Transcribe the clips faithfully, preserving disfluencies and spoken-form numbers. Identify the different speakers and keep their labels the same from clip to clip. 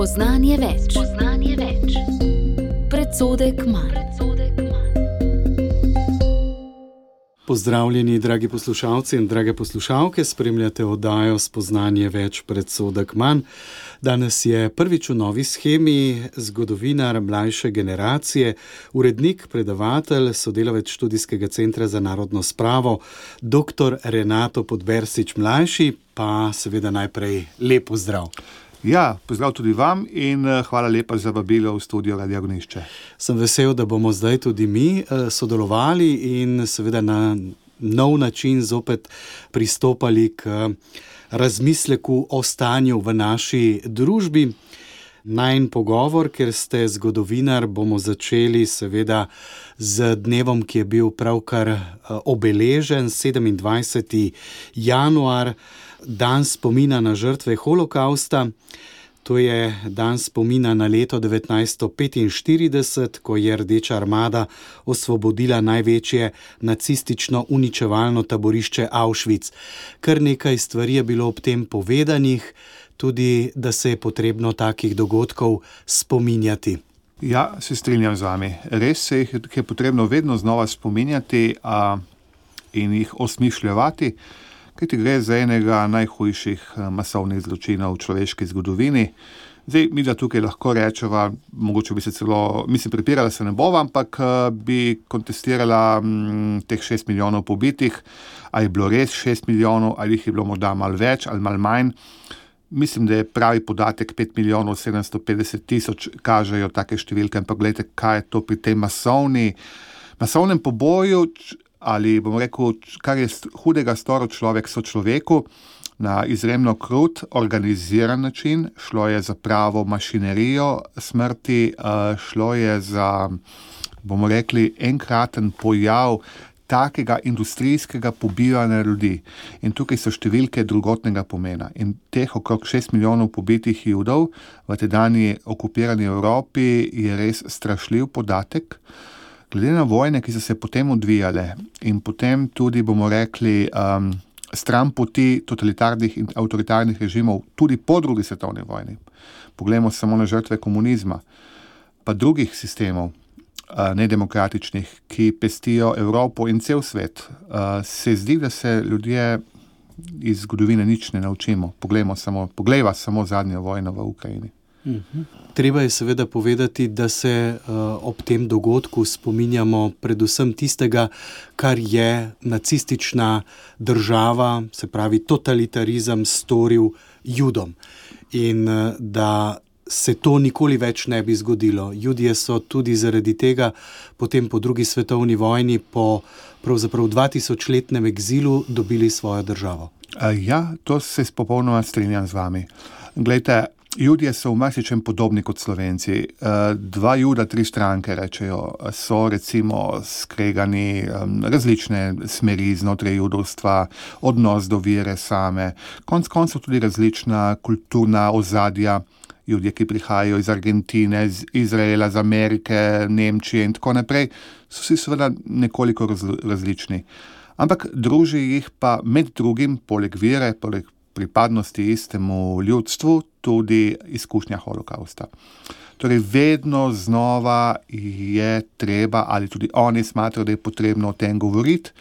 Speaker 1: Spoznanje več. Spoznanje več. Predsodek manj.
Speaker 2: Pozdravljeni, dragi poslušalci in drage poslušalke, spremljate oddajo Spoznanje več, predsodek manj. Danes je prvič v novi shemi zgodovinar mlajše generacije, urednik, predavatelj, sodelavec Študijskega centra za narodno spravo, doktor Renato Podbersič mlajši, pa seveda najprej lep pozdrav.
Speaker 3: Ja, pozdrav tudi vam in hvala lepa za vabilo v studio Radia Ognjišče.
Speaker 2: Sem vesel, da bomo zdaj tudi mi sodelovali in seveda na nov način zopet pristopali k razmisleku o stanju v naši družbi. Najin pogovor, ker ste zgodovinar, bomo začeli seveda z dnevom, ki je bil pravkar obeležen, sedemindvajseti januar, dan spomina na žrtve holokausta. To je dan spomina na leto devetnajststo petinštirideset, ko je Rdeča armada osvobodila največje nacistično uničevalno taborišče Auschwitz. Kar nekaj stvari je bilo ob tem povedanih, tudi da se je potrebno takih dogodkov spominjati.
Speaker 3: Ja, se strinjam z vami. Res se jih je potrebno vedno znova spominjati a, in jih osmišljevati, kajti gre za enega najhujših masovnih zločinov v človeški zgodovini. Zdaj, mi da tukaj lahko rečeva, mogoče bi se celo, mislim, prepirala se ne bova, ampak bi kontestirala m, teh šest milijonov pobitih, ali je bilo res šest milijonov, ali jih je bilo morda malo več ali malo manj. Mislim, da je pravi podatek pet milijonov sedemsto petdeset tisoč, kažejo take številke, ampak gledajte, kaj je to pri tem masovni, masovnem poboju, ali bomo rekel, kar je hudega storil človek sočloveku na izjemno krut, organiziran način. Šlo je za pravo mašinerijo smrti, šlo je za, bomo rekli, enkraten pojav takega industrijskega pobijanja ljudi. In tukaj so številke drugotnega pomena. In teh okrog šest milijonov pobitih Judov v tedajni okupirani Evropi je res strašljiv podatek. Glede na vojne, ki so se potem odvijale in potem tudi, bomo rekli, um, stran poti totalitarnih in avtoritarnih režimov, tudi po drugi svetovni vojni. Poglejmo samo na žrtve komunizma, pa drugih sistemov, uh, nedemokratičnih, ki pestijo Evropo in cel svet. Uh, se zdi, da se ljudje iz zgodovine nič ne naučimo. Poglejmo samo, poglejva samo zadnjo vojno v Ukrajini.
Speaker 2: Uhum. Treba je seveda povedati, da se uh, ob tem dogodku spominjamo predvsem tistega, kar je nacistična država, se pravi totalitarizem, storil Judom. In uh, da se to nikoli več ne bi zgodilo. Judje so tudi zaradi tega potem po drugi svetovni vojni, po pravzaprav dvatisočletnem egzilu dobili svojo državo.
Speaker 3: Uh, ja, to se popolnoma strinjam z vami. Glejte, Judje so v marsičem podobni kot Slovenci. Dva Juda, tri stranke, rečejo, so recimo skregani različne smeri znotraj judovstva, odnos do vere same, konec koncev tudi različna kulturna ozadja. Judje, ki prihajajo iz Argentine, iz Izraela, iz Amerike, Nemčije in tako naprej, so si seveda nekoliko različni. Ampak druži jih pa med drugim, poleg vere, poleg pripadnosti istemu ljudstvu, tudi izkušnja holokausta. Torej, vedno znova je treba, ali tudi oni smatrajo, da je potrebno o tem govoriti.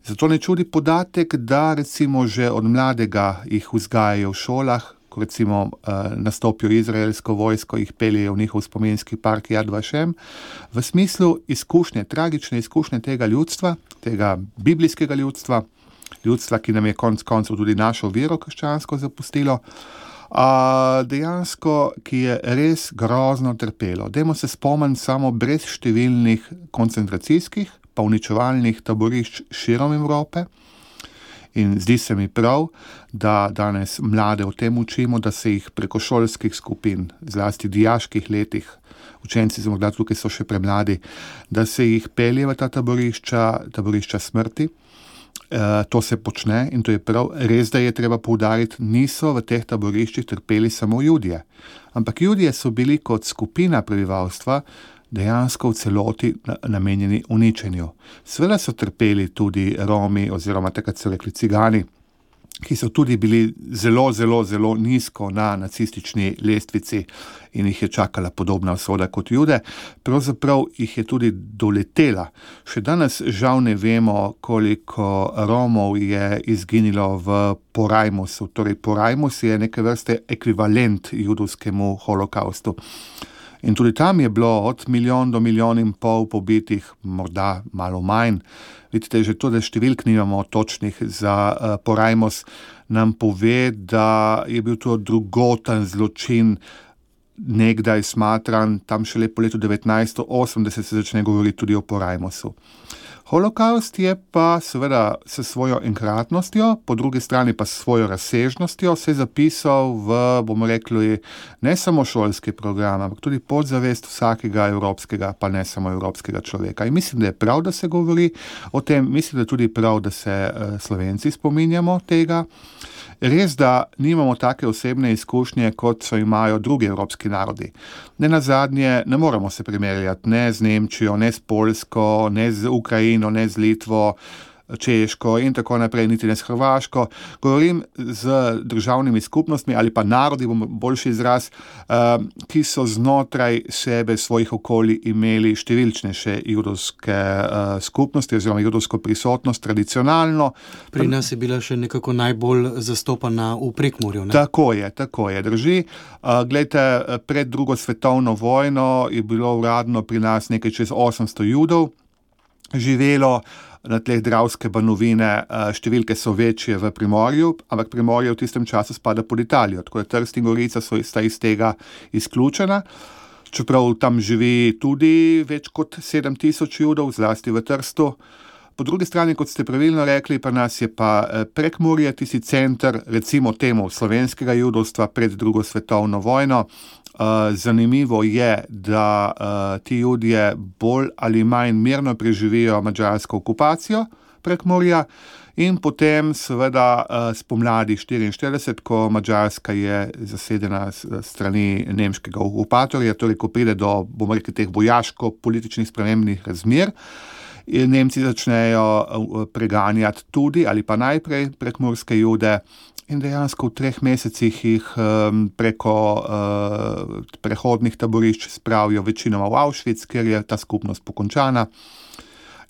Speaker 3: Zato ne čudi podatek, da recimo že od mladega jih vzgajajo v šolah, ko recimo uh, nastopijo izraelsko vojsko, jih peljejo v njihov spominski park Yad Vashem, v smislu izkušnje, tragične izkušnje tega ljudstva, tega biblijskega ljudstva, ljudstva, ki nam je konec koncev tudi našo vero krščansko zapustilo, a dejansko, ki je res grozno trpelo. Dajmo se spomniti samo brez številnih koncentracijskih pa uničevalnih taborišč širom Evrope. In zdi se mi prav, da danes mlade o tem učimo, da se jih preko šolskih skupin, zlasti dijaških letih, učenci so morda tukaj so še premladi, da se jih pelje v ta taborišča, taborišča smrti. Uh, to se počne in to je prav. Res, da je treba poudariti, niso v teh taboriščih trpeli samo Judje. Ampak Judje so bili kot skupina prebivalstva dejansko v celoti namenjeni uničenju. Seveda so trpeli tudi Romi oziroma takrat so rekli Cigani, ki so tudi bili zelo, zelo, zelo nizko na nacistični lestvici in jih je čakala podobna usoda kot Jude. Pravzaprav jih je tudi doletela. Še danes žal ne vemo, koliko Romov je izginilo v Porajmosu. Torej, Porajmos je neke vrste ekvivalent judovskemu holokaustu. In tudi tam je bilo od milijon do milijon in pol pobitih, morda malo manj. Vidite, že to, da številk nimamo točnih za uh, Porajmos, nam pove, da je bil to drugoten zločin nekdaj smatran, tam šele po letu devetnajststo osemdeset se začne govoriti tudi o Porajmosu. Holokaust je pa seveda s svojo enkratnostjo, po drugi strani pa s svojo razsežnostjo se zapisal v, bomo rekli, ne samo šolski program, ampak tudi podzavest vsakega evropskega, pa ne samo evropskega človeka. In mislim, da je prav, da se govori o tem, mislim, da je tudi prav, da se uh, Slovenci spominjamo tega. Res, da nimamo take osebne izkušnje, kot so imajo drugi evropski narodi. Ne nazadnje, ne moramo se primerjati ne z Nemčijo, ne s Poljsko, ne z Ukrajino, ne z Litvo, Češko in tako naprej, niti ne s Hrvaško. Govorim z državnimi skupnostmi ali pa narodi, bom boljši izraz, ki so znotraj sebe svojih okolij imeli številčnejše judovske skupnosti oziroma judovsko prisotnost tradicionalno.
Speaker 2: Pri nas je bila še nekako najbolj zastopana v Prekmurju, ne?
Speaker 3: Tako je, tako je, drži. Glejte, pred drugo svetovno vojno je bilo uradno pri nas nekaj čez osemsto judov živelo na tleh Dravske banovine, številke so večje v Primorju, ampak Primorje v tistem času spada pod Italijo, tako da Trst in Gorica so sta iz tega izključena. Čeprav tam živi tudi več kot sedem tisoč judov, zlasti v Trstu. Po drugi strani, kot ste pravilno rekli, pa nas je pa Prekmurje, tisti center, recimo temu slovenskega judovstva pred drugo svetovno vojno. Uh, zanimivo je, da uh, ti Judje bolj ali manj mirno preživijo madžarsko okupacijo Prekmurja in potem seveda uh, spomladi štiriinštirideset, ko Madžarska je zasedena s strani nemškega okupatorja, torej ko pride do, bomo rekli, teh vojaško-političnih spremembnih razmer, Nemci začnejo preganjati tudi ali pa najprej prekmurske Jude. In dejansko v treh mesecih jih um, preko uh, prehodnih taborišč spravijo večinoma v Auschwitz, ker je ta skupnost pokončana.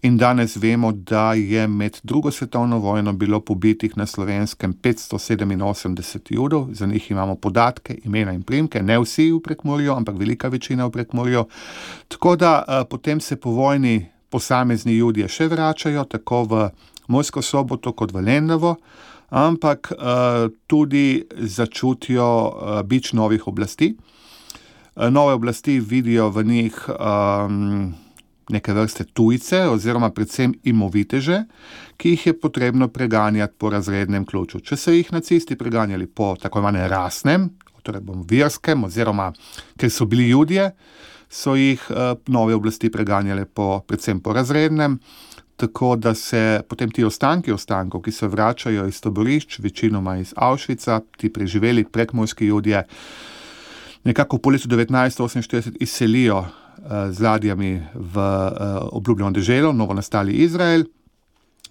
Speaker 3: In danes vemo, da je med drugo svetovno vojno bilo pobitih na Slovenskem petsto sedeminosemdeset judov, za njih imamo podatke, imena in priimke, ne vsi v Prekmurju, ampak velika večina v Prekmurju. Tako da uh, potem se po vojni posamezni Judje še vračajo, tako v Mursko Soboto kot v Lendavo, ampak uh, tudi začutijo uh, bič novih oblasti. Uh, nove oblasti vidijo v njih um, neke vrste tujce oziroma predvsem imoviteže, ki jih je potrebno preganjati po razrednem ključu. Če so jih nacisti preganjali po tako imenem rasnem, torej bom verskem oziroma ker so bili Judje, so jih uh, nove oblasti preganjale po, predvsem po razrednem. Tako da se potem ti ostanki ostankov, ki se vračajo iz taborišč, večinoma iz Auschwitza, ti preživeli prekmurski Judje, nekako po letu devetnajststo oseminštirideset izselijo uh, z ladjami v uh, obljubljeno deželo, novo nastali Izrael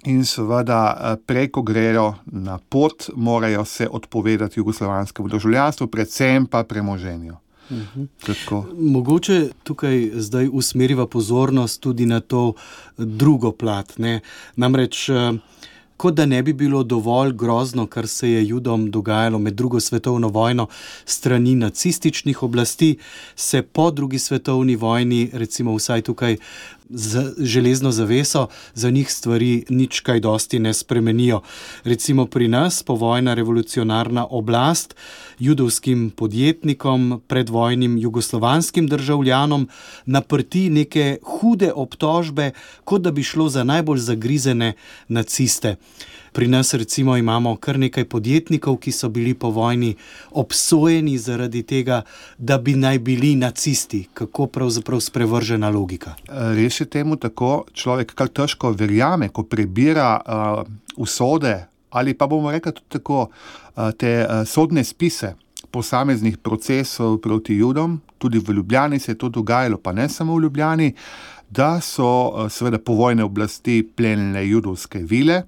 Speaker 3: in seveda uh, preko grejo na pot, morajo se odpovedati jugoslovanskemu državljanstvu, predvsem pa premoženju.
Speaker 2: Uhum. Mogoče tukaj zdaj usmeriva pozornost tudi na to drugo plat. Ne? Namreč, kot da ne bi bilo dovolj grozno, kar se je Judom dogajalo med drugo svetovno vojno strani nacističnih oblasti, se po drugi svetovni vojni, recimo vsaj tukaj z železno zaveso, za njih stvari nič kaj dosti ne spremenijo. Recimo pri nas povojna revolucionarna oblast judovskim podjetnikom, predvojnim jugoslovanskim državljanom naprti neke hude obtožbe, kot da bi šlo za najbolj zagrizene naciste. Pri nas recimo imamo kar nekaj podjetnikov, ki so bili po vojni obsojeni zaradi tega, da bi naj bili nacisti. Kako pravzaprav sprevržena logika?
Speaker 3: Res je temu tako, človek kar težko verjame, ko prebira uh, usode ali pa bomo rekli tudi tako uh, te uh, sodne spise posameznih procesov proti Judom, tudi v Ljubljani se je to dogajalo, pa ne samo v Ljubljani, da so uh, seveda povojne oblasti plenile judovske vile,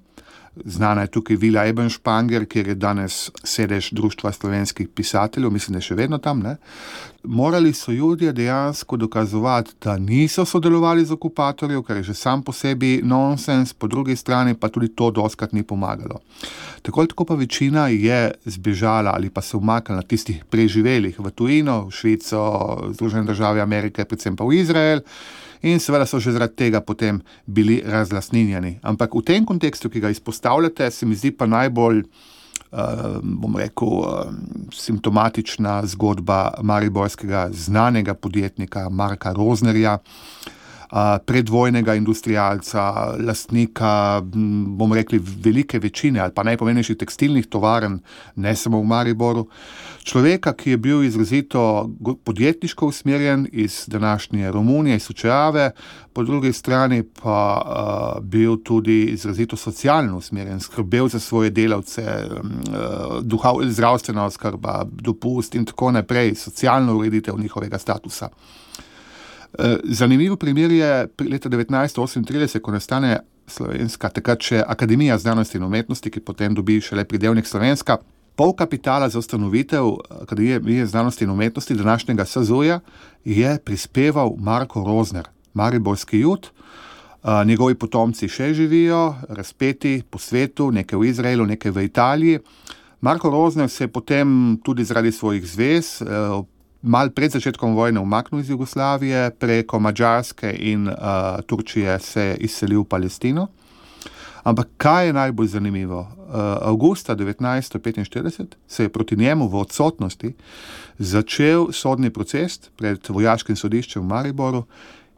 Speaker 3: Znana je tukaj Vila Ebenšpanger, kjer je danes sedež Društva slovenskih pisateljev, mislim, da je še vedno tam, ne. Morali so Judje dejansko dokazovati, da niso sodelovali z okupatorjev, kar je že sam po sebi nonsens, po drugi strani pa tudi to dostkrat ni pomagalo. Tako ali tako pa večina je zbežala ali pa se umaknila tistih preživelih v tujino, v Švico, Združene države Amerike, predvsem pa v Izrael. In seveda so že zaradi tega potem bili razlastninjeni. Ampak v tem kontekstu, ki ga izpostavljate, se mi zdi pa najbolj, uh, bom rekel, uh, simptomatična zgodba mariborskega znanega podjetnika Marka Roznerja, uh, predvojnega industrialca, lastnika, bom rekli, velike večine ali pa najpomembnejših tekstilnih tovarn, ne samo v Mariboru. Človeka, ki je bil izrazito podjetniško usmerjen iz današnje Romunije, iz Sučerave, po drugi strani pa uh, bil tudi izrazito socialno usmerjen, skrbel za svoje delavce, uh, duha, zdravstvena oskrba, dopust in tako naprej, socialno ureditev njihovega statusa. Uh, zanimiv primer je leta devetnajststo osemintrideset, ko nastane slovenska, takrat še Akademija znanosti in umetnosti, ki potem dobi šele pridevnik Slovenska. Pol kapitala za ustanovitev Akademije znanosti in umetnosti današnjega S Z U-ja je prispeval Marko Rozner, mariborski Jud. Uh, njegovi potomci še živijo, razpeti po svetu, nekaj v Izraelu, nekaj v Italiji. Marko Rozner se je potem tudi zaradi svojih zvez uh, mal pred začetkom vojne umaknil iz Jugoslavije, preko Madžarske in uh, Turčije se je izselil v Palestino. Ampak kaj je najbolj zanimivo? Avgusta devetnajststo petinštirideset se je proti njemu v odsotnosti začel sodni proces pred vojaškim sodiščem v Mariboru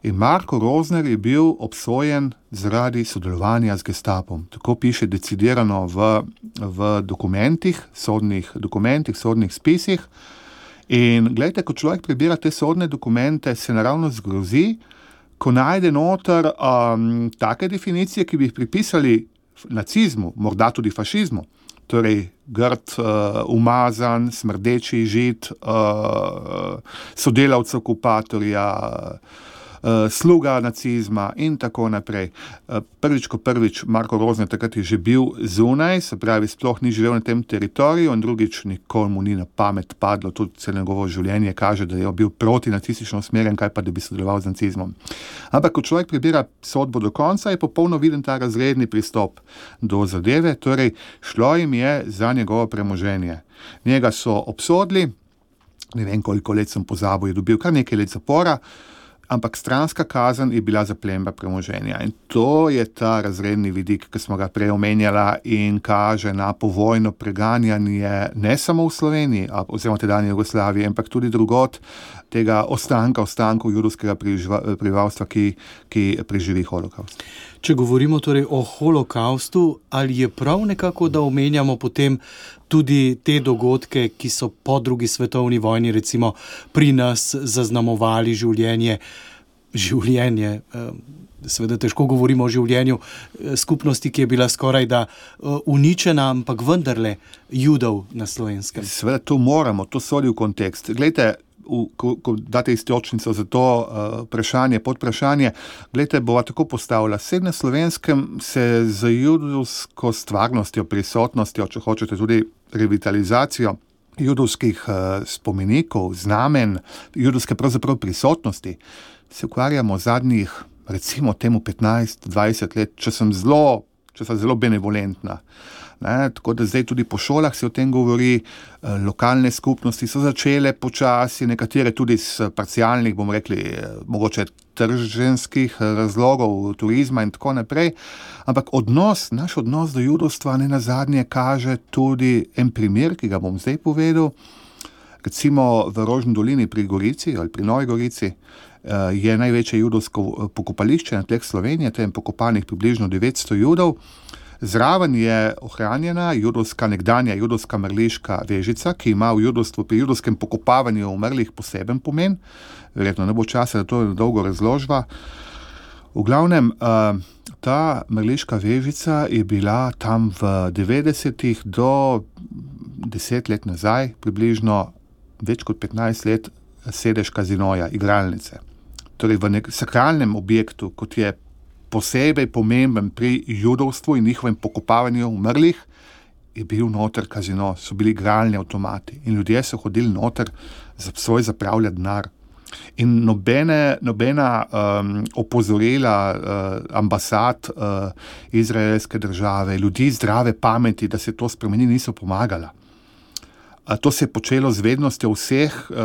Speaker 3: in Marko Rozner je bil obsojen zaradi sodelovanja z gestapom. Tako piše decidirano v, v dokumentih, sodnih dokumentih, sodnih spisih. In gledajte, ko človek prebira te sodne dokumente, se naravno zgrozi, ko najde noter um, take definicije, ki bi jih pripisali nacizmu, morda tudi fašizmu, torej grd, uh, umazan, smrdeči žid, uh, sodelavc okupatorja, uh, sluga nacizma in tako naprej. Uh, prvič, ko prvič Marko Rozner takrat je že bil zunaj, se pravi, sploh ni živel na tem teritoriju, in drugič nikoli mu ni na pamet padlo, tudi celo njegovo življenje kaže, da je bil proti nacistično usmerjen, kaj pa da bi sodeloval z nacizmom. Ampak, ko človek prebira sodbo do konca, je popolno viden ta razredni pristop do zadeve, torej šlo jim je za njegovo premoženje. Njega so obsodili, ne vem koliko let sem pozabil, je dobil kar nekaj let zapora, ampak stranska kazen je bila zaplemba premoženja. In to je ta razredni vidik, ki smo ga prej omenjala in kaže na povojno preganjanje ne samo v Sloveniji, oziroma tedanje Jugoslavije, ampak tudi drugod tega ostanka, ostankov judovskega prebivalstva, ki, ki preživi holokaust.
Speaker 2: Če govorimo torej o holokaustu, ali je prav nekako, da omenjamo potem tudi te dogodke, ki so po drugi svetovni vojni recimo pri nas zaznamovali življenje, življenje, seveda težko govorimo o življenju skupnosti, ki je bila skoraj da uničena, ampak vendarle Judov na Slovenskem.
Speaker 3: Seveda to moramo, to sodi v kontekst. Glejte, V, ko, ko date istočnico za to uh, vprašanje, podvprašanje, gledajte, bova tako postavila. Sed na Slovenskem se z judovsko stvarnostjo, prisotnostjo, če hočete tudi revitalizacijo judovskih uh, spomenikov, znamen, judovske pravzaprav prisotnosti, se ukvarjamo zadnjih, recimo temu petnajst dvajset let, če sem zelo, če sem zelo benevolentna. Ne, tako da zdaj tudi po šolah se o tem govori, lokalne skupnosti so začele počasi, nekatere tudi z parcialnih, bomo rekli, mogoče trženskih razlogov, turizma in tako naprej, ampak odnos, naš odnos do judovstva ne nazadnje kaže tudi en primer, ki ga bom zdaj povedal. Recimo v Rožni dolini pri Gorici ali pri Novi Gorici je največje judovsko pokopališče na tleh Slovenije, tam je pokopanih približno devetsto judov. Zraven je ohranjena judovska, nekdanja judovska mrliška vežica, ki ima v judovstvu pri judovskem pokopavanju umrlih poseben pomen. Verjetno ne bo časa, da to je dolgo razložba. V glavnem, ta mrliška vežica je bila tam v devetdesetih do deset let nazaj, približno več kot petnajst let, sedež kazinoja, igralnice. Torej v nek sakralnem objektu, kot je posebej pomemben pri judovstvu in njihovem pokopavanju umrlih, je bil noter kazino, so bili igralni avtomati in ljudje so hodili noter za svoj zapravljati denar. In nobene, nobena um, opozorila uh, ambasad uh, izraelske države, ljudi zdrave pameti, da se to spremeni, niso pomagala. To se je počelo z vednostjo vseh uh,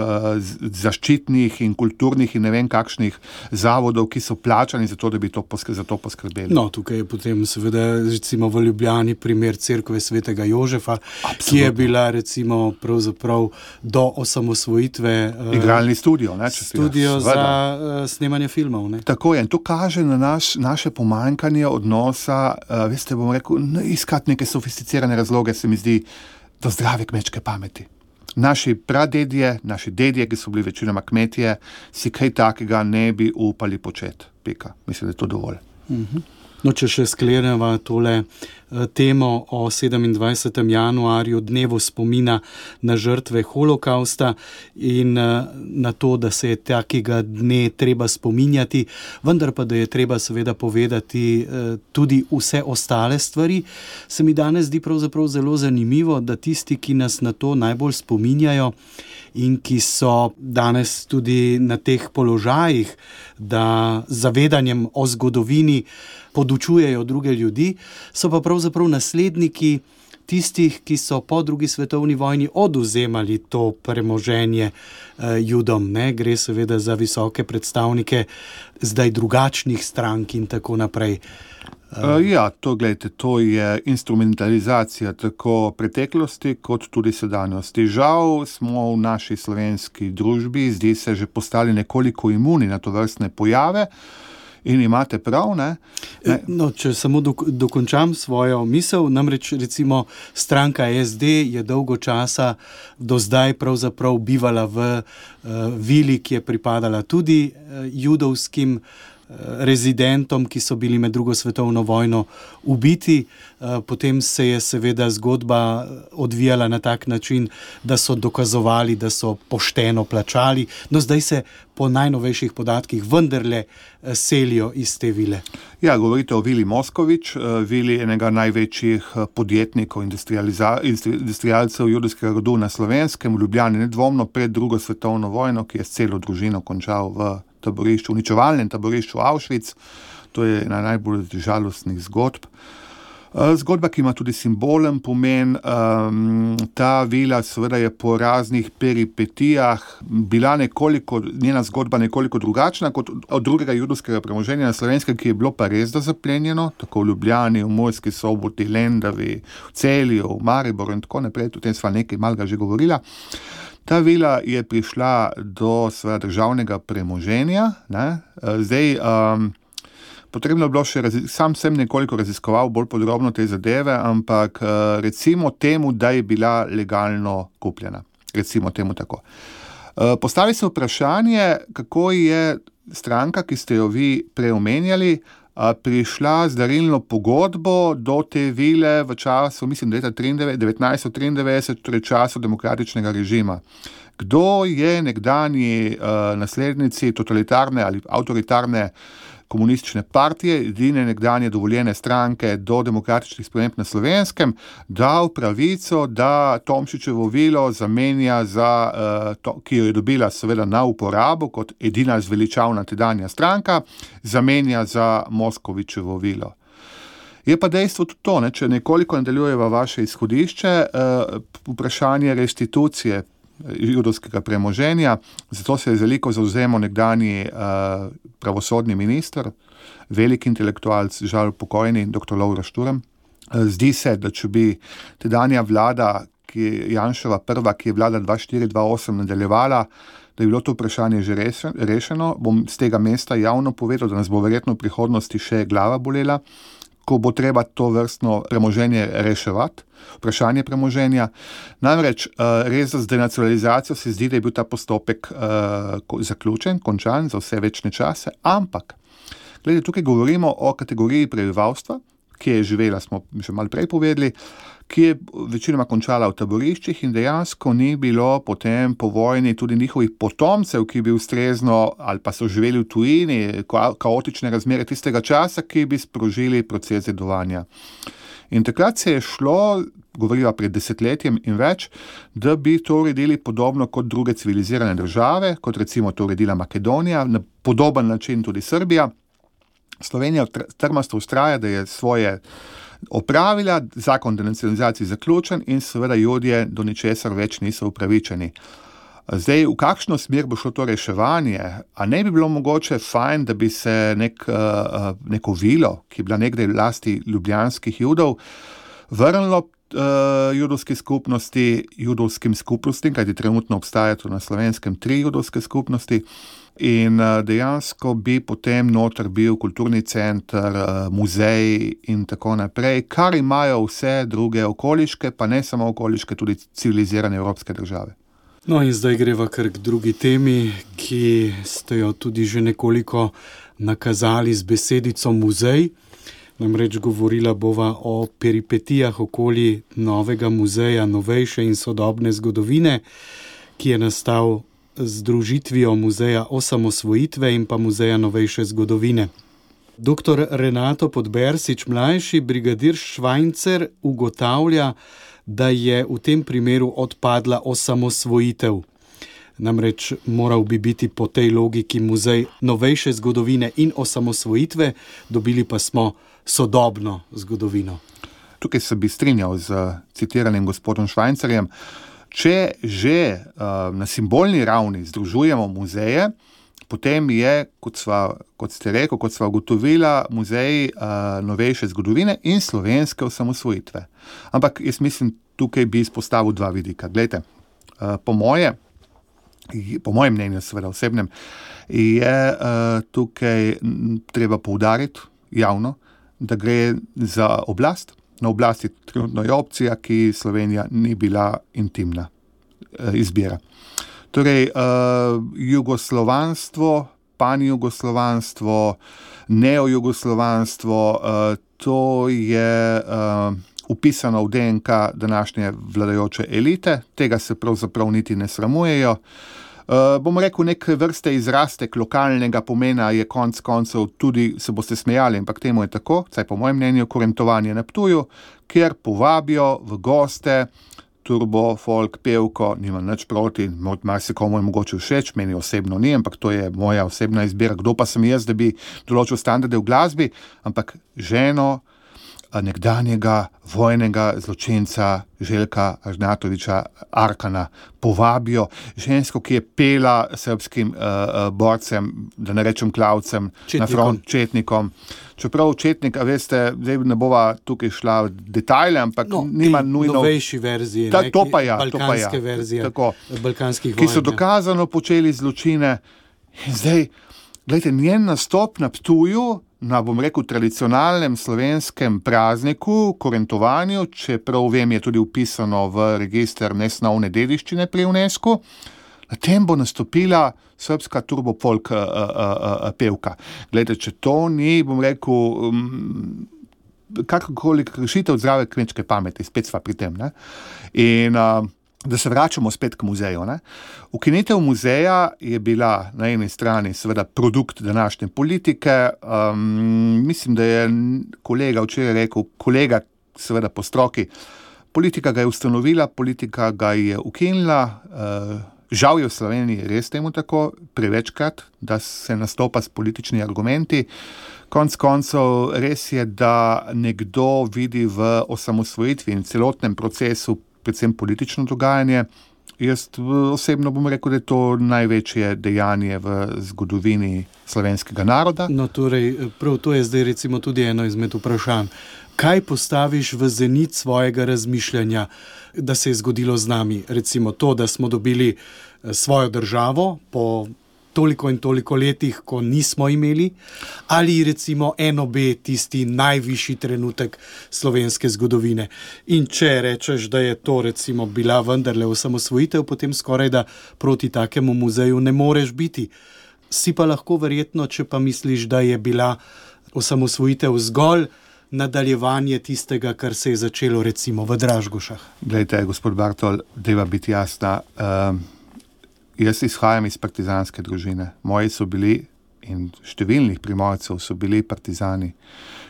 Speaker 3: zaščitnih in kulturnih in ne vem kakšnih zavodov, ki so plačani za to, da bi to poskr- za to poskrbeli.
Speaker 2: No, tukaj je potem seveda recimo v Ljubljani primer cerkve svetega Jožefa, Absolutno. Ki je bila recimo pravzaprav do osamosvojitve uh,
Speaker 3: igralni studio, ne, če
Speaker 2: studio za uh, snemanje filmov. Ne?
Speaker 3: Tako je, in to kaže na naš, naše pomanjkanje odnosa, uh, veste, bom rekel, ne, iskati neke sofisticirane razloge, se mi zdi, do zdrave kmečke pameti. Naši pradedje, naši dedje, ki so bili večinoma kmetije, si kaj takega ne bi upali početi. Pika. Mislim, da je to dovolj.
Speaker 2: Uh-huh. No, če še skleneva tole uh, temo o sedemindvajsetem januarju, dnevu spomina na žrtve holokausta in uh, na to, da se je takega dne treba spominjati, vendar pa, da je treba seveda povedati uh, tudi vse ostale stvari, se mi danes zdi pravzaprav zelo zanimivo, da tisti, ki nas na to najbolj spominjajo in ki so danes tudi na teh položajih, da z zavedanjem o zgodovini podučujejo druge ljudi, so pa pravzaprav nasledniki tistih, ki so po drugi svetovni vojni odvzemali to premoženje eh, Judom. Ne? Gre seveda za visoke predstavnike zdaj drugačnih strank in tako naprej.
Speaker 3: Uh, ja, to, gledajte, to je instrumentalizacija tako preteklosti kot tudi sedanjosti. Žal smo v naši slovenski družbi, zdi se, že postali nekoliko imuni na to vrstne pojave. In imate prav, ne? ne?
Speaker 2: No, če samo dok- dokončam svojo misel, namreč recimo stranka S D je dolgo časa do zdaj pravzaprav bivala v uh, vili, ki je pripadala tudi uh, judovskim rezidentom, ki so bili med drugo svetovno vojno ubiti. Potem se je seveda zgodba odvijala na tak način, da so dokazovali, da so pošteno plačali. No, zdaj se po najnovejših podatkih vendarle selijo iz te vile.
Speaker 3: Ja, govorite o vili Moskovič, vili enega največjih podjetnikov, industrialcev judovskega rodu na Slovenskem, v Ljubljani, nedvomno pred drugo svetovno vojno, ki je s celo družino končal v taborišču, uničevalnem taborišču Auschwitz. To je ena najbolj žalostnih zgodb. Zgodba, ki ima tudi simbolen pomen. Ta vila seveda je po raznih peripetijah bila nekoliko, njena zgodba nekoliko drugačna kot od drugega judovskega premoženja na Slovenskem, ki je bilo pa res da zaplenjeno, tako v Ljubljani, v Murski Soboti, Lendavi, v Celju, v Mariboru in tako naprej. O tem sva nekaj malega že govorila. Ta vila je prišla do svojega državnega premoženja. Ne? Zdaj, um, potrebno je bilo še, razi- sam sem nekoliko raziskoval bolj podrobno te zadeve, ampak uh, recimo temu, da je bila legalno kupljena. Recimo temu tako. Uh, postavi se vprašanje, kako je stranka, ki ste jo vi preomenjali, prišla z darilno pogodbo do te vile v času, mislim, leta devetnajststo triindevetdeset, torej času demokratičnega režima. Kdo je nekdanji uh, naslednici totalitarne ali avtoritarne komunistične partije, edine nekdanje dovoljene stranke do demokratičnih sprememb na Slovenskem, dal pravico, da Tomšičevo vilo zamenja za, uh, to, ki jo je dobila seveda na uporabo kot edina zveličavna tedanja stranka, zamenja za Moskovičevo vilo. Je pa dejstvo tudi to, ne, če nekoliko nadaljujeva vaše izhodišče, uh, vprašanje restitucije judovskega premoženja, zato se je veliko zavzemal nekdanji uh, pravosodni minister, velik intelektualc, žal pokojni, doktor Lovro Šturm. Uh, zdi se, da če bi tedanja vlada, ki je Janševa prva, ki je vlada dva štiri dva osem nadaljevala, da je bilo to vprašanje že rešeno, bom z tega mesta javno povedal, da nas bo verjetno v prihodnosti še glava bolela, ko bo treba to vrstno premoženje reševati, vprašanje premoženja. Namreč res z denacionalizacijo se zdi, da je bil ta postopek uh, zaključen, končan za vse večne čase, ampak gledajte, tukaj govorimo o kategoriji prebivalstva, ki je živela, smo že malo prej povedali, ki je večinoma končala v taboriščih in dejansko ni bilo potem po vojni tudi njihovih potomcev, ki bi ustrezno ali pa so živeli v tujini, kaotične razmere tistega časa, ki bi sprožili proces dedovanja. In takrat se je šlo, govoriva pred desetletjem in več, da bi to uredili podobno kot druge civilizirane države, kot recimo to uredila Makedonija, na podoben način tudi Srbija. Slovenija trmasto vztraja, da je svoje opravila, zakon denacionalizaciji zaključen in seveda Judje do ničesar več niso upravičeni. Zdaj, v kakšno smer bo šlo to reševanje? A ne bi bilo mogoče fajn, da bi se nek, neko vilo, ki je bila nekdaj v lasti ljubljanskih Judov, vrnilo uh, judovski skupnosti, judovskim skupnostim, kajti trenutno obstaja tu na Slovenskem tri judovske skupnosti, in uh, dejansko bi potem noter bil kulturni center, uh, muzej in tako naprej, kar imajo vse druge okoliške, pa ne samo okoliške, tudi civilizirane evropske države.
Speaker 2: No in zdaj greva kar k drugi temi, ki ste jo tudi že nekoliko nakazali z besedico muzej. Namreč govorila bova o peripetijah okoli novega muzeja novejše in sodobne zgodovine, ki je nastal z združitvijo muzeja osamosvojitve in pa muzeja novejše zgodovine. Doktor Renato Podbersič, mlajši brigadir Švajcer, ugotavlja, da je v tem primeru odpadla osamosvojitev. Namreč moral bi biti po tej logiki muzej novejše zgodovine in osamosvojitve, dobili pa smo sodobno zgodovino.
Speaker 3: Tukaj se bi strinjal z citiranim gospodom Švajcerjem. Če že uh, na simbolni ravni združujemo muzeje, potem je, kot, sva, kot ste rekel, kot sva ugotovila, muzej uh, novejše zgodovine in slovenske osamosvojitve. Ampak jaz mislim, tukaj bi izpostavil dva vidika. Glejte, uh, po moje, po mojem mnenju, seveda osebnem, je uh, tukaj treba poudariti javno, da gre za oblast. Na oblasti trenutno je opcija, ki Slovenija ni bila intimna uh, izbira. Torej, uh, jugoslovanstvo, panjugoslovanstvo, neojugoslovanstvo, uh, to je uh, upisano v D N K današnje vladajoče elite, tega se pravzaprav niti ne sramujejo. Uh, bom rekel, neke vrste izrastek lokalnega pomena je konc koncev tudi, se boste smejali, ampak temu je tako, saj po mojem mnenju, korentovanje na Ptuju, kjer povabijo v goste turbo, folk, pevko, nimam nič proti, marsikomu je mogoče všeč, meni osebno ni, ampak to je moja osebna izbira, kdo pa sem jaz, da bi določil standarde v glasbi, ampak ženo nekdanjega vojnega zločinca Željka Ažnatoviča Arkana povabijo, žensko, ki je pela srbskim uh, borcem, da ne rečem klavcem, četnikom. Na front, četnikom. Čeprav četnik, a veste, zdaj ne bova tukaj šla v detajle, ampak
Speaker 2: no,
Speaker 3: nima nujno...
Speaker 2: novejši verziji,
Speaker 3: Ta, to pa ja,
Speaker 2: balkanske
Speaker 3: to pa ja.
Speaker 2: verzije,
Speaker 3: tako,
Speaker 2: balkanskih vojn.
Speaker 3: Ki so dokazano počeli zločine. In zdaj, gledajte, njen nastop na Ptuju, na, bom rekel, tradicionalnem slovenskem prazniku, korentovanju, čeprav vem, je tudi upisano v register nesnovne dediščine pri UNESCO, na tem bo nastopila srbska turbo folk uh, uh, uh, pevka. Glejte, če to ni, bom rekel, um, kakorkoli kršitev zdrave kmečke pameti, spet sva pri tem, ne? In uh, da se vračamo spet k muzeju, ne? Ukinitev muzeja je bila na eni strani seveda produkt današnje politike. Um, mislim, da je kolega včeraj rekel, kolega seveda po stroki, politika ga je ustanovila, politika ga je ukinila. Uh, žal je v Sloveniji res temu tako, prevečkrat, da se nastopa s političnimi argumenti. Konc koncev res je, da nekdo vidi v osamosvojitvi in celotnem procesu predvsem politično dogajanje. Jaz osebno bom rekel, da je to največje dejanje v zgodovini slovenskega naroda.
Speaker 2: No, torej, prav to je zdaj recimo tudi eno izmed vprašanj. Kaj postaviš v zenit svojega razmišljanja, da se je zgodilo z nami? Recimo to, da smo dobili svojo državo po toliko in toliko letih, ko nismo imeli, ali recimo eno B tisti najvišji trenutek slovenske zgodovine. In če rečeš, da je to recimo bila vendarle osamosvojitev, potem skoraj da proti takemu muzeju ne moreš biti. Si pa lahko verjetno, če pa misliš, da je bila osamosvojitev zgolj nadaljevanje tistega, kar se je začelo recimo v Dražgošah?
Speaker 3: Glejte, gospod Bartol, deva biti jasna. Um, jaz izhajam iz partizanske družine. Moji so bili in številnih Primorcev so bili partizani.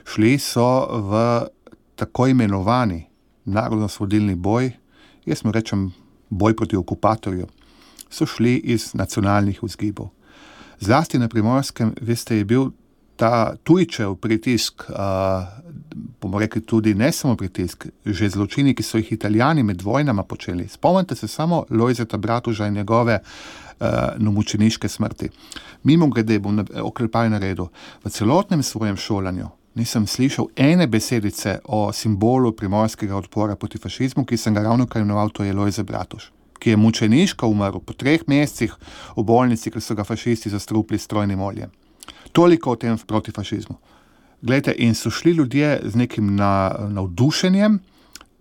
Speaker 3: Šli so v tako imenovani narodnoosvobodilni boj, jaz mu rečem boj proti okupatorju, so šli iz nacionalnih vzgibov. Zlasti na Primorskem, veste, je bil ta tujčev pritisk, uh, bomo rekli tudi ne samo pritisk, že zločini, ki so jih Italijani med vojnama počeli. Spomnite se samo Lojzeta Bratuža in njegove uh, mučeniške smrti. Mimo grede bom oklepaj naredil. V celotnem svojem šolanju nisem slišal ene besedice o simbolu primorskega odpora proti fašizmu, ki sem ga ravno kar imenoval, to je Lojze Bratuž, ki je mučeniško umrl po treh mesecih v bolnici, ker so ga fašisti zastrupili s strojnim oljem. Toliko o tem proti fašizmu. Glejte, in so šli ljudje z nekim na, navdušenjem,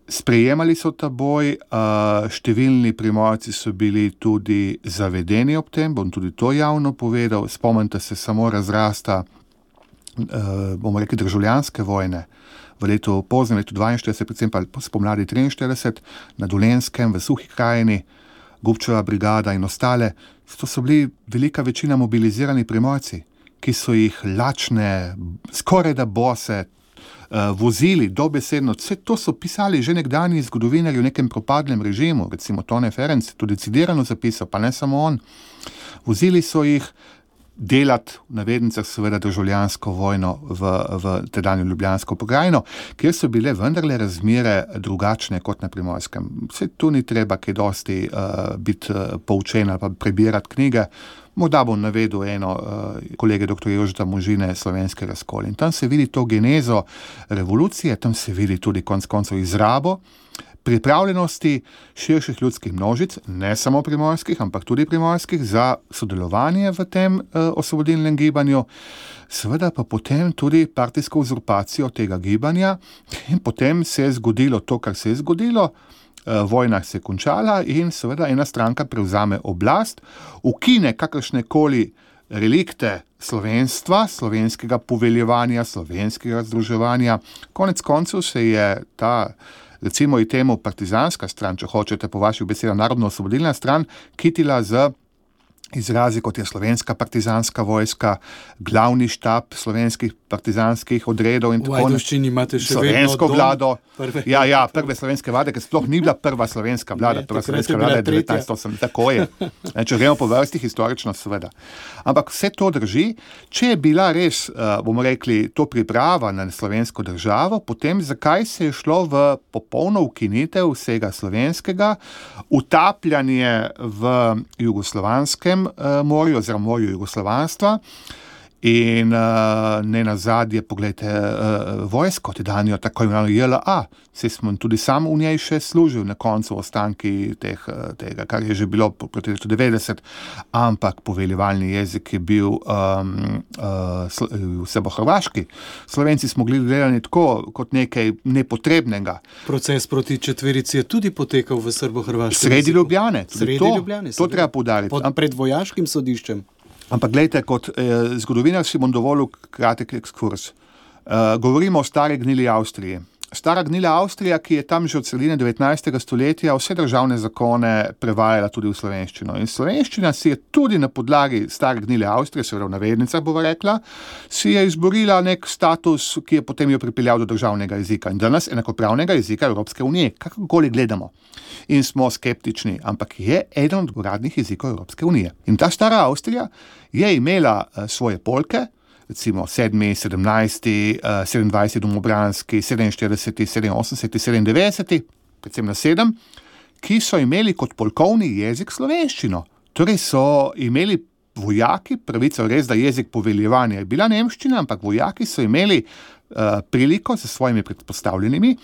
Speaker 3: sprejemali so ta boj, uh, številni Primorci so bili tudi zavedeni ob tem, bom tudi to javno povedal, spomnite se samo razrasta, uh, bomo rekli, državljanske vojne v letu, poznem letu dvainštirideset, predvsem pa spomladi triinštirideset, na Dolenjskem, v Suhi krajini, Gubčeva brigada in ostale, to so bili velika večina mobilizirani Primorci, ki so jih lačne, skoraj da bose, uh, vozili dobesedno. Vse to so pisali že nekdanji zgodovinarji v nekem propadlem režimu, recimo Tone Ferenc, tudi citirano zapisal, pa ne samo on. Vozili so jih delati, v navednicah seveda, državljansko vojno v, v tedanjo Ljubljansko pokrajino, kjer so bile vendarle razmere drugačne kot na Primorskem. Vse tu ni treba kaj dosti uh, biti uh, poučen ali pa prebirati knjige. Morda bom navedel eno uh, kolege doktor Jožeta Možine, Slovenski razkol. In tam se vidi to genezo revolucije, tam se vidi tudi konc koncev izrabo pripravljenosti širših ljudskih množic, ne samo primorskih, ampak tudi primorskih, za sodelovanje v tem uh, osvobodilnem gibanju, seveda pa potem tudi partijsko uzurpacijo tega gibanja in potem se je zgodilo to, kar se je zgodilo. Vojna se je končala in seveda ena stranka prevzame oblast, ukine kakršnekoli relikte slovenstva, slovenskega poveljevanja, slovenskega združevanja. Konec koncev se je ta, recimo i temu partizanska stran, če hočete po vaših besedah, narodno-osvobodilna stran, kitila z izrazi, kot je slovenska partizanska vojska, glavni štab slovenskih partizanskih odredov in tako naprej.
Speaker 2: V Ajdovščini imate še
Speaker 3: slovensko
Speaker 2: vedno
Speaker 3: vlado.
Speaker 2: Prve,
Speaker 3: ja, ja, prve slovenske vlade, ker sploh ni bila prva slovenska vlada,
Speaker 2: ne,
Speaker 3: prva slovenska vlada je devetnajststo osem, tako je. Ne, če gremo po vrsti, historično seveda. Ampak vse to drži, če je bila res, bomo rekli, to priprava na slovensko državo, potem zakaj se je šlo v popolno ukinitev vsega slovenskega, utapljanje v jugoslovanskem morju oziroma morju jugoslovanstva in uh, ne nazadnje, pogledajte, uh, vojsko, tedanjo tako imenovano J L A, se smo tudi sam v njej še služil na koncu ostanki teh, tega, kar je že bilo proti letu devetdeset, ampak poveljevalni jezik je bil um, uh, srbohrvaški. Slovenci smo mogli gledati tako kot nekaj nepotrebnega.
Speaker 2: Proces proti četverici je tudi potekal v srbohrvaškem
Speaker 3: Sredi Ljubljane.
Speaker 2: Sredi
Speaker 3: to,
Speaker 2: Ljubljane.
Speaker 3: To treba poudariti.
Speaker 2: Pod, pred vojaškim sodiščem.
Speaker 3: Ampak gledajte, kot eh, zgodovinar si bom dovolil kratek ekskurs. Eh, govorimo o stari gnili Avstriji. Stara gnila Avstrija, ki je tam že od sredine devetnajstega stoletja vse državne zakone prevajala tudi v slovenščino. In slovenščina si je tudi na podlagi stare gnile Avstrije, seveda v navednicah bova rekla, si je izborila nek status, ki je potem jo pripeljal do državnega jezika. In danes enakopravnega jezika Evropske unije, kakorkoli gledamo. In smo skeptični, ampak je eden od uradnih jezikov Evropske unije. In ta stara Avstrija je imela uh, svoje polke, recimo sedmi, sedemnajsti, sedemindvajseti domobranski, sedeminštirideseti, sedeminosemdeseti, sedemindevetdeseti, predvsem na sedem, ki so imeli kot polkovni jezik slovenščino. Torej so imeli vojaki pravico, res da jezik poveljevanja je bila nemščina, ampak vojaki so imeli uh, priliko s svojimi predpostavljenimi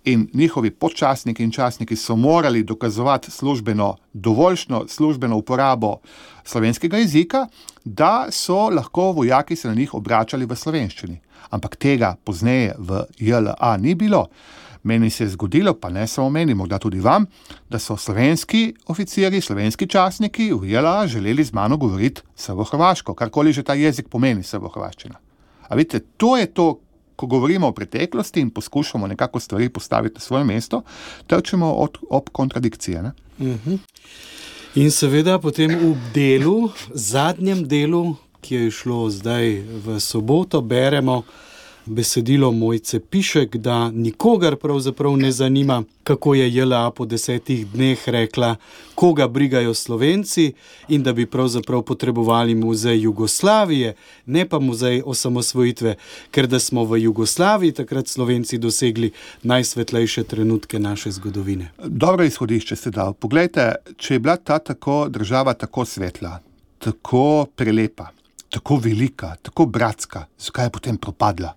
Speaker 3: in njihovi podčasniki in časniki so morali dokazovati službeno, dovoljšno službeno uporabo slovenskega jezika, da so lahko vojaki se na njih obračali v slovenščini. Ampak tega pozneje v J L A ni bilo. Meni se je zgodilo, pa ne samo meni, morda tudi vam, da so slovenski oficiri, slovenski časniki v J L A želeli z mano govoriti srbohrvaško, karkoli že ta jezik pomeni srbohrvaščina. A vidite, to je to, ko govorimo o preteklosti in poskušamo nekako stvari postaviti na svoje mesto, trčimo od, ob kontradikcije. Ne?
Speaker 2: Uh-huh. In seveda potem v delu, zadnjem delu, ki je šlo zdaj v soboto, beremo besedilo Mojce Pišek, da nikogar pravzaprav ne zanima, kako je J L A po desetih dneh rekla, koga brigajo Slovenci in da bi pravzaprav potrebovali muzej Jugoslavije, ne pa muzej osamosvojitve, ker da smo v Jugoslaviji takrat Slovenci dosegli najsvetlejše trenutke naše zgodovine.
Speaker 3: Dobro izhodišče ste dal. Poglejte, če je bila ta tako država tako svetla, tako prelepa, tako velika, tako bratska, zakaj je potem propadla?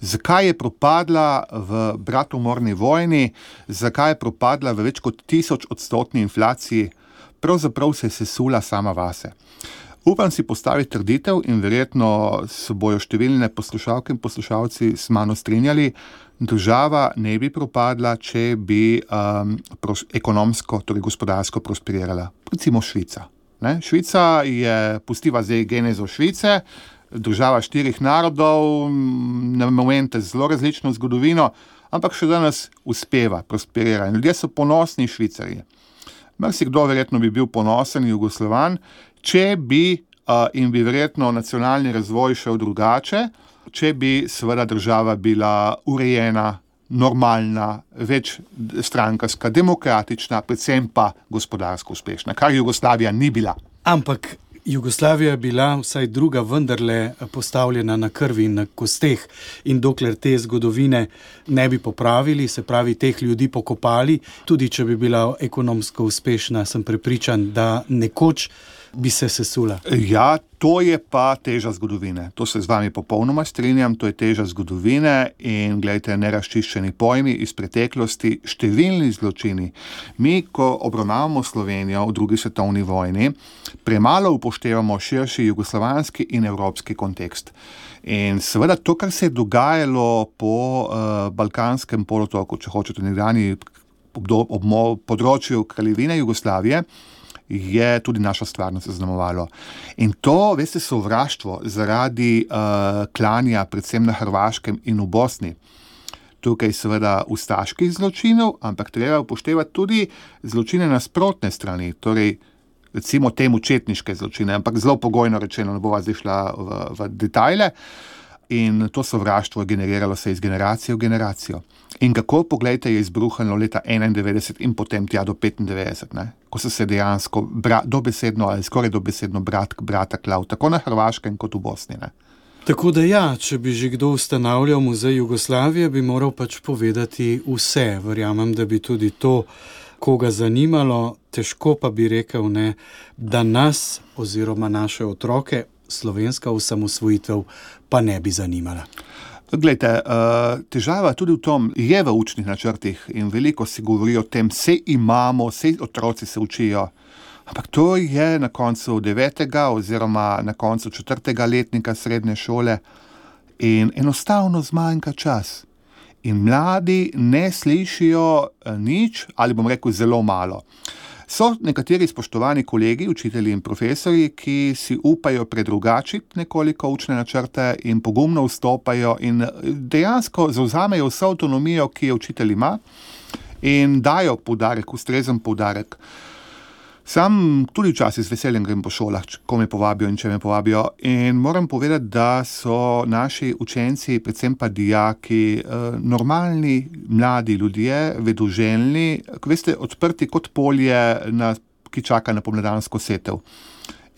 Speaker 3: Zakaj je propadla v bratomorni vojni, zakaj je propadla v več kot tisoč odstotni inflaciji, pravzaprav se je sesula sama vase. Upam si postaviti trditev in verjetno se bojo številne poslušalke in poslušalci s mano strinjali, država ne bi propadla, če bi um, pros- ekonomsko, torej gospodarsko prosperirala. Recimo Švica. Ne? Švica je, pustiva zdaj genezo Švice, država štirih narodov, na momente zelo različno zgodovino, ampak še danes uspeva, prosperira. In ljudje so ponosni Švicarji. Marsikdo verjetno bi bil ponosen Jugoslovan, če bi uh, in bi verjetno nacionalni razvoj šel drugače, če bi seveda država bila urejena, normalna, večstrankarska, demokratična, predvsem pa gospodarsko uspešna, kar Jugoslavija ni bila.
Speaker 2: Ampak Jugoslavija je bila vsaj druga vendarle postavljena na krvi in na kosteh in dokler te zgodovine ne bi popravili, se pravi teh ljudi pokopali, tudi če bi bila ekonomsko uspešna, sem prepričan, da nekoč bi se sesula.
Speaker 3: Ja, to je pa teža zgodovine. To se z vami popolnoma strinjam, to je teža zgodovine in gledajte, nerazčiščeni pojmi iz preteklosti, številni zločini. Mi, ko obravnavamo Slovenijo v drugi svetovni vojni, premalo upoštevamo širši jugoslovanski in evropski kontekst. In seveda to, kar se je dogajalo po uh, Balkanskem polotoku, če hočete nekdanji področju kraljevine Jugoslavije, je tudi naša stvarnost zaznamovalo. In to, veste, sovraštvo zaradi uh, klanja, predvsem na Hrvaškem in v Bosni. Tukaj seveda ustaških zločinov, ampak treba upoštevati tudi zločine nasprotne strani, torej recimo temu četniške zločine, ampak zelo pogojno rečeno, ne bova zdaj šla v, v detajle. In to sovraštvo generiralo se iz generacije v generacijo. In kako, poglejte, je izbruhalo leta enaindevetdeset in potem tja do petindevetdeset, ne? Ko so se dejansko bra, dobesedno ali skoraj dobesedno brat k brata klav, tako na Hrvaškem kot v Bosni. Ne?
Speaker 2: Tako da ja, če bi že kdo ustanavljal muzej Jugoslavije, bi moral pač povedati vse. Verjamem, da bi tudi to koga zanimalo, težko pa bi rekel, ne, da nas oziroma naše otroke slovenska osamosvojitev pa ne bi zanimala.
Speaker 3: Glejte, težava tudi v tom je v učnih načrtih in veliko se govori o tem, vse imamo, vse otroci se učijo, ampak to je na koncu devetega oziroma na koncu četrtega letnika srednje šole in enostavno zmanjka čas. In mladi ne slišijo nič ali bom rekel zelo malo. So nekateri spoštovani kolegi, učitelji in profesorji, ki si upajo predrugačiti nekoliko učne načrte in pogumno vstopajo in dejansko zavzamejo vso avtonomijo, ki jo učitelj ima in dajo poudarek, ustrezen poudarek. Sam tudi včasih z veseljem grem po šolah, ko me povabijo in če me povabijo. In moram povedati, da so naši učenci, predvsem pa dijaki, normalni, mladi ljudje, vedoželjni, veste, odprti kot polje, na, ki čaka na pomladansko setev.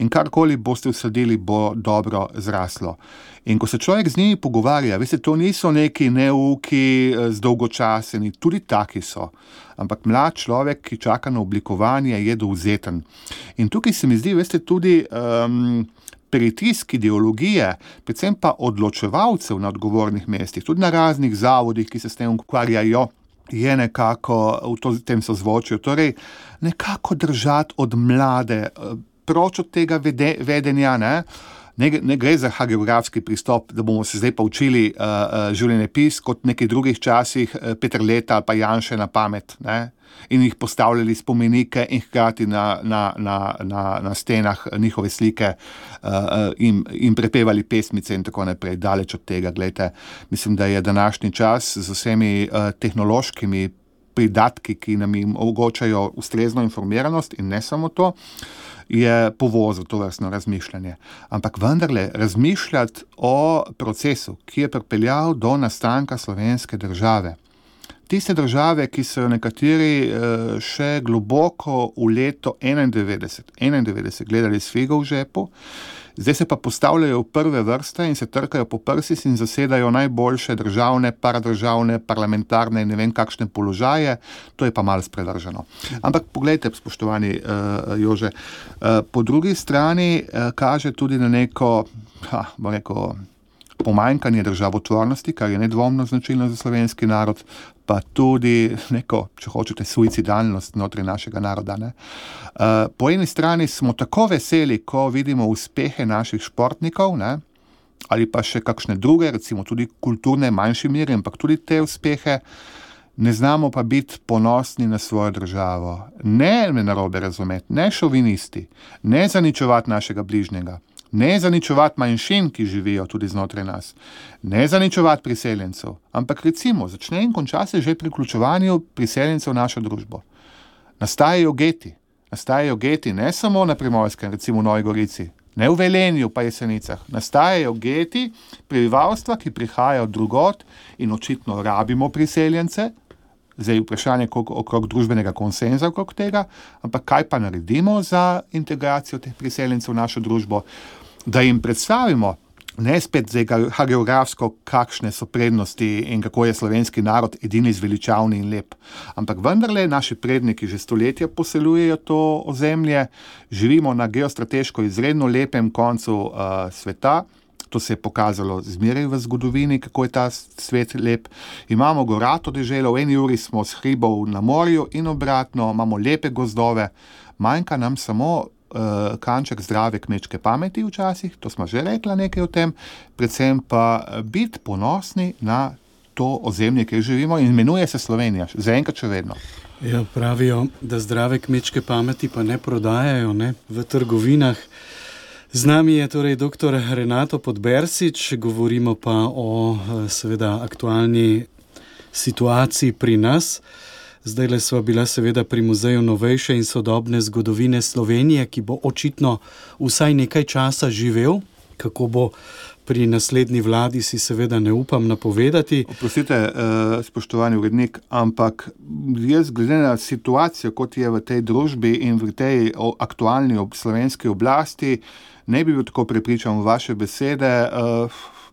Speaker 3: In karkoli boste vsadili, bo dobro zraslo. In ko se človek z njimi pogovarja, veste, to niso neki neuki, zdolgočaseni, tudi taki so. Ampak mlad človek, ki čaka na oblikovanje, je dovzeten. In tukaj se mi zdi, veste, tudi um, pritisk ideologije, predvsem pa odločevalcev na odgovornih mestih, tudi na raznih zavodih, ki se s tem ukvarjajo, je nekako v tem sozvočju. Torej, nekako držati od mlade, proč od tega vede, vedenja, ne? Ne, ne gre za hagiografski pristop, da bomo se zdaj pa učili uh, uh, življenjepis kot v nekih drugih časih, uh, Peter Leta ali pa Janše na pamet, ne? In jih postavljali spomenike in hkrati na, na, na, na, na stenah njihove slike uh, in, in prepevali pesmice in tako naprej. Daleč od tega, gledajte, mislim, da je današnji čas z vsemi uh, tehnološkimi pridatki, ki nam jim omogočajo ustrezno informiranost in ne samo to, je povozil to vrstno razmišljanje. Ampak vendarle razmišljati o procesu, ki je pripeljal do nastanka slovenske države. Tiste države, ki so jo nekateri še globoko v leto enaindevetdeset, enaindevetdeset gledali s figo v žepu, zdaj se pa postavljajo v prve vrste in se trkajo po prsih in zasedajo najboljše državne, paradržavne, parlamentarne in ne vem kakšne položaje, to je pa malo sprevrženo. Ampak poglejte, spoštovani uh, Jože, uh, po drugi strani uh, kaže tudi na neko, ha, bo rekel, pomanjkanje državotvornosti, kar je nedvomno značilno za slovenski narod, pa tudi neko, če hočete, suicidalnost znotraj našega naroda. Ne? Uh, po eni strani smo tako veseli, ko vidimo uspehe naših športnikov, ne? Ali pa še kakšne druge, recimo tudi kulturne, manjši meri, ampak tudi te uspehe, ne znamo pa biti ponosni na svojo državo. Ne me narobe razumeti, ne šovinisti, ne zaničevati našega bližnjega, ne zaničevati manjšin, ki živijo tudi znotraj nas, ne zaničevati priseljencev, ampak recimo začne in konča se že pri vključevanju priseljencev v našo družbo. Nastajajo geti, nastajajo geti ne samo na Primorskem, recimo v Novi Gorici, ne v Velenju pa Jesenicah, nastajajo geti prebivalstva, ki prihajajo drugod in očitno rabimo priseljence, zdaj vprašanje okrog družbenega konsenza okrog tega, ampak kaj pa naredimo za integracijo teh priseljencev v našo družbo, da jim predstavimo, ne spet zdaj hagiografsko, kakšne so prednosti in kako je slovenski narod edini zveličavni in lep. Ampak vendarle naši predniki že stoletja poseljujejo to ozemlje, živimo na geostrateško izredno lepem koncu uh, sveta, to se je pokazalo zmeraj v zgodovini, kako je ta svet lep. Imamo gorato deželo, v eni uri smo s hribov na morju in obratno, imamo lepe gozdove, manjka nam samo uh, kanček zdrave kmečke pameti včasih, to smo že rekla nekaj o tem, predvsem pa biti ponosni na to ozemlje, kjer živimo in imenuje se Slovenija, zaenkrat še vedno.
Speaker 2: Ja, pravijo, da zdrave kmečke pameti pa ne prodajajo, ne, v trgovinah. Z nami je torej doktor Renato Podbersič, govorimo pa o seveda aktualni situaciji pri nas. Zdajle sva bila seveda pri Muzeju novejše in sodobne zgodovine Slovenije, ki bo očitno vsaj nekaj časa živel. Kako bo pri naslednji vladi, si seveda ne upam napovedati.
Speaker 3: Oprostite, spoštovani urednik, ampak jaz glede na situacijo, kot je v tej družbi in v tej aktualni slovenski oblasti, ne bi bil tako prepričan v vaše besede.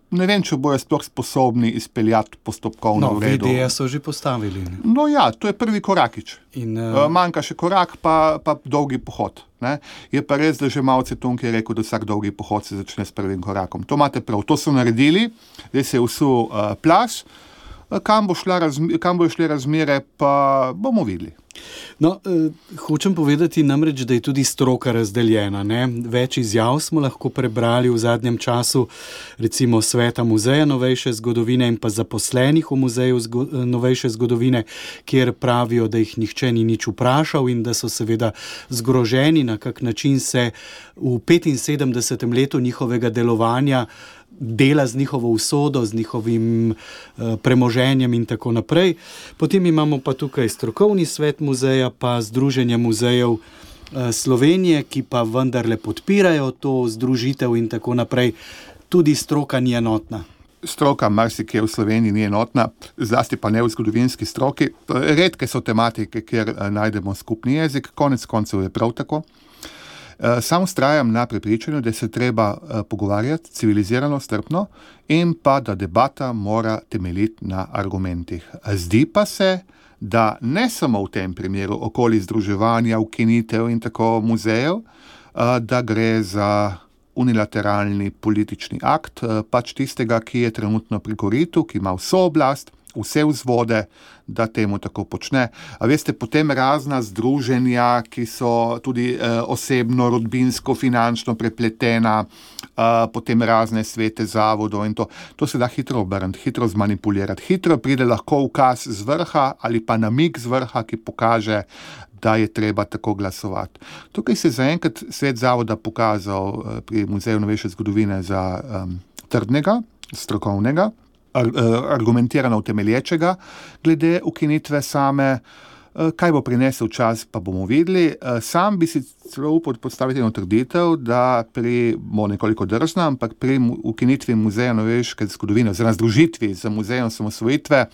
Speaker 3: Ne vem, če bojo sploh sposobni izpeljati postopkovno
Speaker 2: no,
Speaker 3: v redu.
Speaker 2: No, V D so že postavili. Ne?
Speaker 3: No ja, to je prvi korakič.
Speaker 2: In, uh...
Speaker 3: Manjka še korak, pa, pa dolgi pohod. Ne? Je pa res, da že Mao Tse-tung je rekel, da vsak dolgi pohod se začne s prvim korakom. To imate prav, to so naredili, zdaj se je vsul uh, plas. Kam bo šla razmi- kam bo šle razmere, pa bomo videli.
Speaker 2: No, eh, hočem povedati namreč, da je tudi stroka razdeljena. Ne? Več izjav smo lahko prebrali v zadnjem času, recimo Sveta muzeja novejše zgodovine in pa zaposlenih v Muzeju zgo- novejše zgodovine, kjer pravijo, da jih nihče ni nič vprašal in da so seveda zgroženi, na kak način se v petinsedemdesetem letu njihovega delovanja dela z njihovo usodo, z njihovim uh, premoženjem in tako naprej. Potem imamo pa tukaj strokovni svet muzeja, pa Združenje muzejev uh, Slovenije, ki pa vendarle podpirajo to združitev in tako naprej. Tudi stroka ni enotna.
Speaker 3: Stroka marsikje v Sloveniji ni enotna, zlasti pa ne v zgodovinski stroki. Redke so tematike, kjer uh, najdemo skupni jezik, konec koncev je prav tako. Sam vztrajam na prepričanju, da se treba pogovarjati civilizirano, strpno in pa da debata mora temeljiti na argumentih. Zdi pa se, da ne samo v tem primeru okoli združevanja, ukinitev in tako muzejev, da gre za unilateralni politični akt, pač tistega, ki je trenutno pri koritu, ki ima vso oblast, vse vzvode, da temu tako počne. A veste, potem razna združenja, ki so tudi eh, osebno, rodbinsko, finančno prepletena, eh, potem razne svete zavodov in to. To se da hitro obrniti, hitro zmanipulirati. Hitro pride lahko ukaz z vrha ali pa namig z vrha, ki pokaže, da je treba tako glasovati. Tukaj se je zaenkrat svet zavoda pokazal eh, pri Muzeju novejše zgodovine za um, trdnega, strokovnega, argumentirano utemelječega glede ukinitve same. Kaj bo prinesel čas, pa bomo videli. Sam bi si celo upal postaviti eno trditev, da pri, bo nekoliko drzna, ampak pri ukinitvi Muzeja novejše zgodovine, oziroma združitvi z Muzejem osamosvojitve,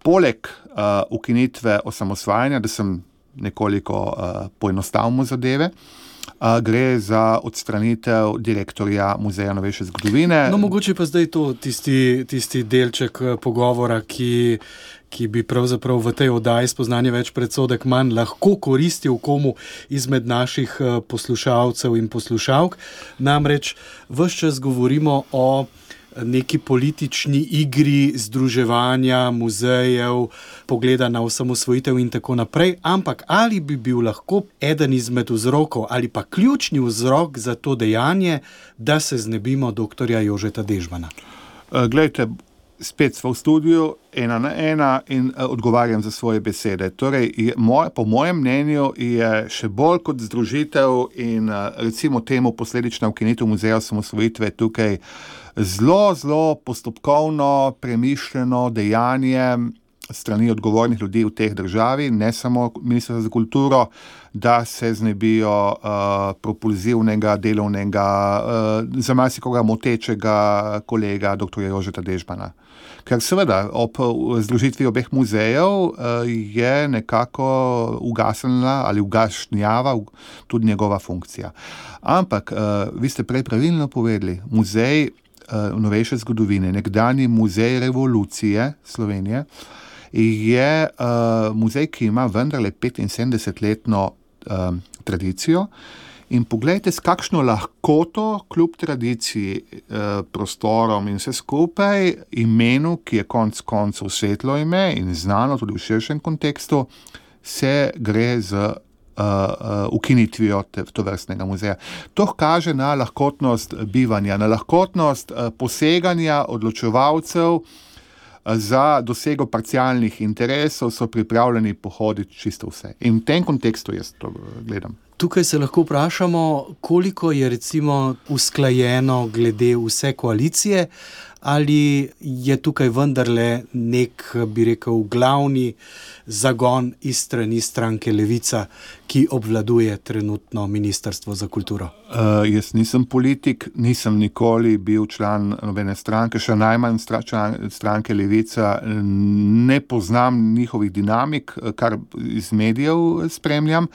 Speaker 3: poleg uh, ukinitve osamosvajanja, da sem nekoliko uh, poenostavil zadeve, Uh, gre za odstranitev direktorja Muzeja novejše zgodovine.
Speaker 2: No, mogoče pa zdaj to tisti, tisti delček pogovora, ki, ki bi pravzaprav v tej oddaji Spoznanje več, predsodek manj lahko koristil komu izmed naših poslušalcev in poslušalk. Namreč ves čas govorimo o neki politični igri združevanja muzejev, pogleda na osamosvojitev in tako naprej, ampak ali bi bil lahko eden izmed vzrokov ali pa ključni vzrok za to dejanje, da se znebimo doktorja Jožeta Dežmana?
Speaker 3: Glejte, spet smo v studiu, ena na ena in odgovarjam za svoje besede. Torej, je, moj, po mojem mnenju je še bolj kot združitev in recimo temu posledična ukinitev Muzeja osamosvojitve tukaj zelo, zelo postopkovno premišljeno dejanje strani odgovornih ljudi v teh državi, ne samo Ministrstva za kulturo, da se znebijo uh, propulzivnega, delovnega, uh, za marsikoga motečega kolega doktorja Jožeta Dežmana. Ker seveda ob združitvi obeh muzejev uh, je nekako ugasnila ali ugašnjava tudi njegova funkcija. Ampak, uh, vi ste prej pravilno povedali, muzej uh, novejše zgodovine, nekdanji muzej revolucije Slovenije, je uh, muzej, ki ima vendarle petinsedemdesetletno uh, tradicijo in poglejte, s kakšno lahkoto kljub tradiciji, uh, prostorom in vse skupaj, imenu, ki je konec koncev svetlo ime in znano tudi v širšem kontekstu, se gre z uh, uh, ukinitvijo te, tovrstnega muzeja. To kaže na lahkotnost bivanja, na lahkotnost uh, poseganja odločevalcev. Za dosego parcialnih interesov so pripravljeni pohoditi čisto vse. In v tem kontekstu jaz to gledam.
Speaker 2: Tukaj se lahko vprašamo, koliko je recimo usklajeno glede vse koalicije, ali je tukaj vendarle nek, bi rekel, glavni zagon iz strani stranke Levica, ki obvladuje trenutno Ministrstvo za kulturo?
Speaker 3: Uh, jaz nisem politik, nisem nikoli bil član nobene stranke, še najmanj stranke Levica, ne poznam njihovih dinamik, kar iz medijev spremljam,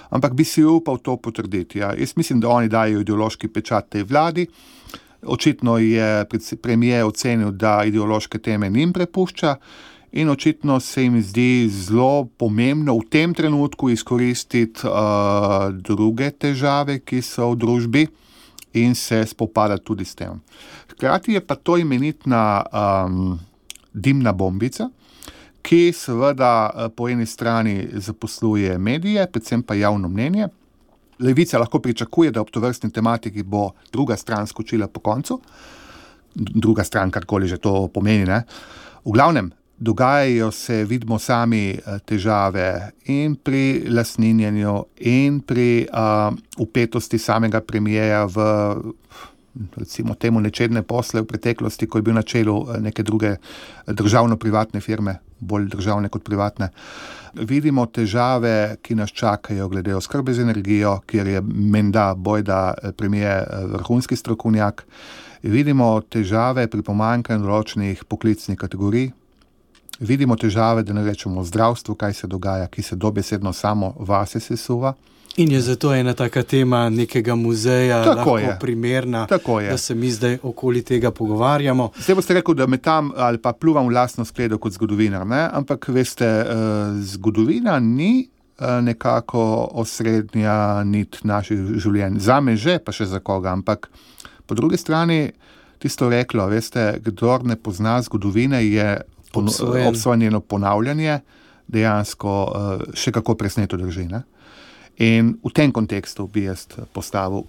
Speaker 3: ampak bi si upal to potrditi. Ja. Jaz mislim, da oni dajo ideološki pečat tej vladi. Očitno je premier ocenil, da ideološke teme njim prepušča in očitno se jim zdi zelo pomembno v tem trenutku izkoristiti uh, druge težave, ki so v družbi in se spopadati tudi s tem. Hkrati je pa to imenitna um, dimna bombica, ki seveda po eni strani zaposluje medije, predvsem pa javno mnenje. Levica lahko pričakuje, da ob tovrstni tematiki bo druga stran skočila po koncu. Druga stran, karkoli že to pomeni, ne. V glavnem, dogajajo se, vidimo sami, težave in pri lastninjenju in pri uh, upetosti samega premierja v, recimo temu, nečedne posle v preteklosti, ko je bil na čelu neke druge državno-privatne firme, bolj državne kot privatne. Vidimo težave, ki nas čakajo glede oskrbe z energijo, kjer je menda bojda premier vrhunski strokovnjak. Vidimo težave pri pomanjkanju določenih poklicnih kategorij. Vidimo težave, da ne rečemo zdravstvu, kaj se dogaja, ki se dobesedno samo vase sesuva.
Speaker 2: In je zato ena taka tema nekega muzeja
Speaker 3: tako
Speaker 2: lahko
Speaker 3: je.
Speaker 2: primerna,
Speaker 3: je.
Speaker 2: da se mi zdaj okoli tega pogovarjamo.
Speaker 3: Zdaj boste rekel, da me tam ali pa pluvam v lastno skledo kot zgodovinar, ne? Ampak veste, zgodovina ni nekako osrednja nit naših življenj. Zame že, pa še za koga, ampak po drugi strani tisto reklo, veste, kdor ne pozna zgodovine, je
Speaker 2: obsojen.
Speaker 3: obsojen njeno ponavljanje, dejansko še kako presneto drži. Ne? In v tem kontekstu bi jaz postavil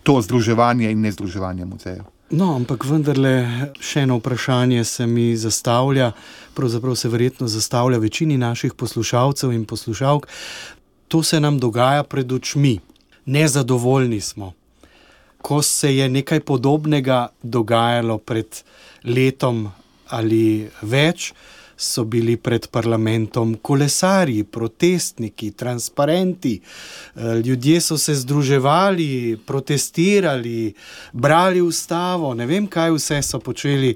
Speaker 3: to združevanje in nezdruževanje muzejev.
Speaker 2: No, ampak vendarle še eno vprašanje se mi zastavlja, pravzaprav se verjetno zastavlja večini naših poslušalcev in poslušalk. To se nam dogaja pred očmi. Nezadovoljni smo. Ko se je nekaj podobnega dogajalo pred letom ali več, so bili pred parlamentom kolesarji, protestniki, transparenti, ljudje so se združevali, protestirali, brali ustavo, ne vem, kaj vse so počeli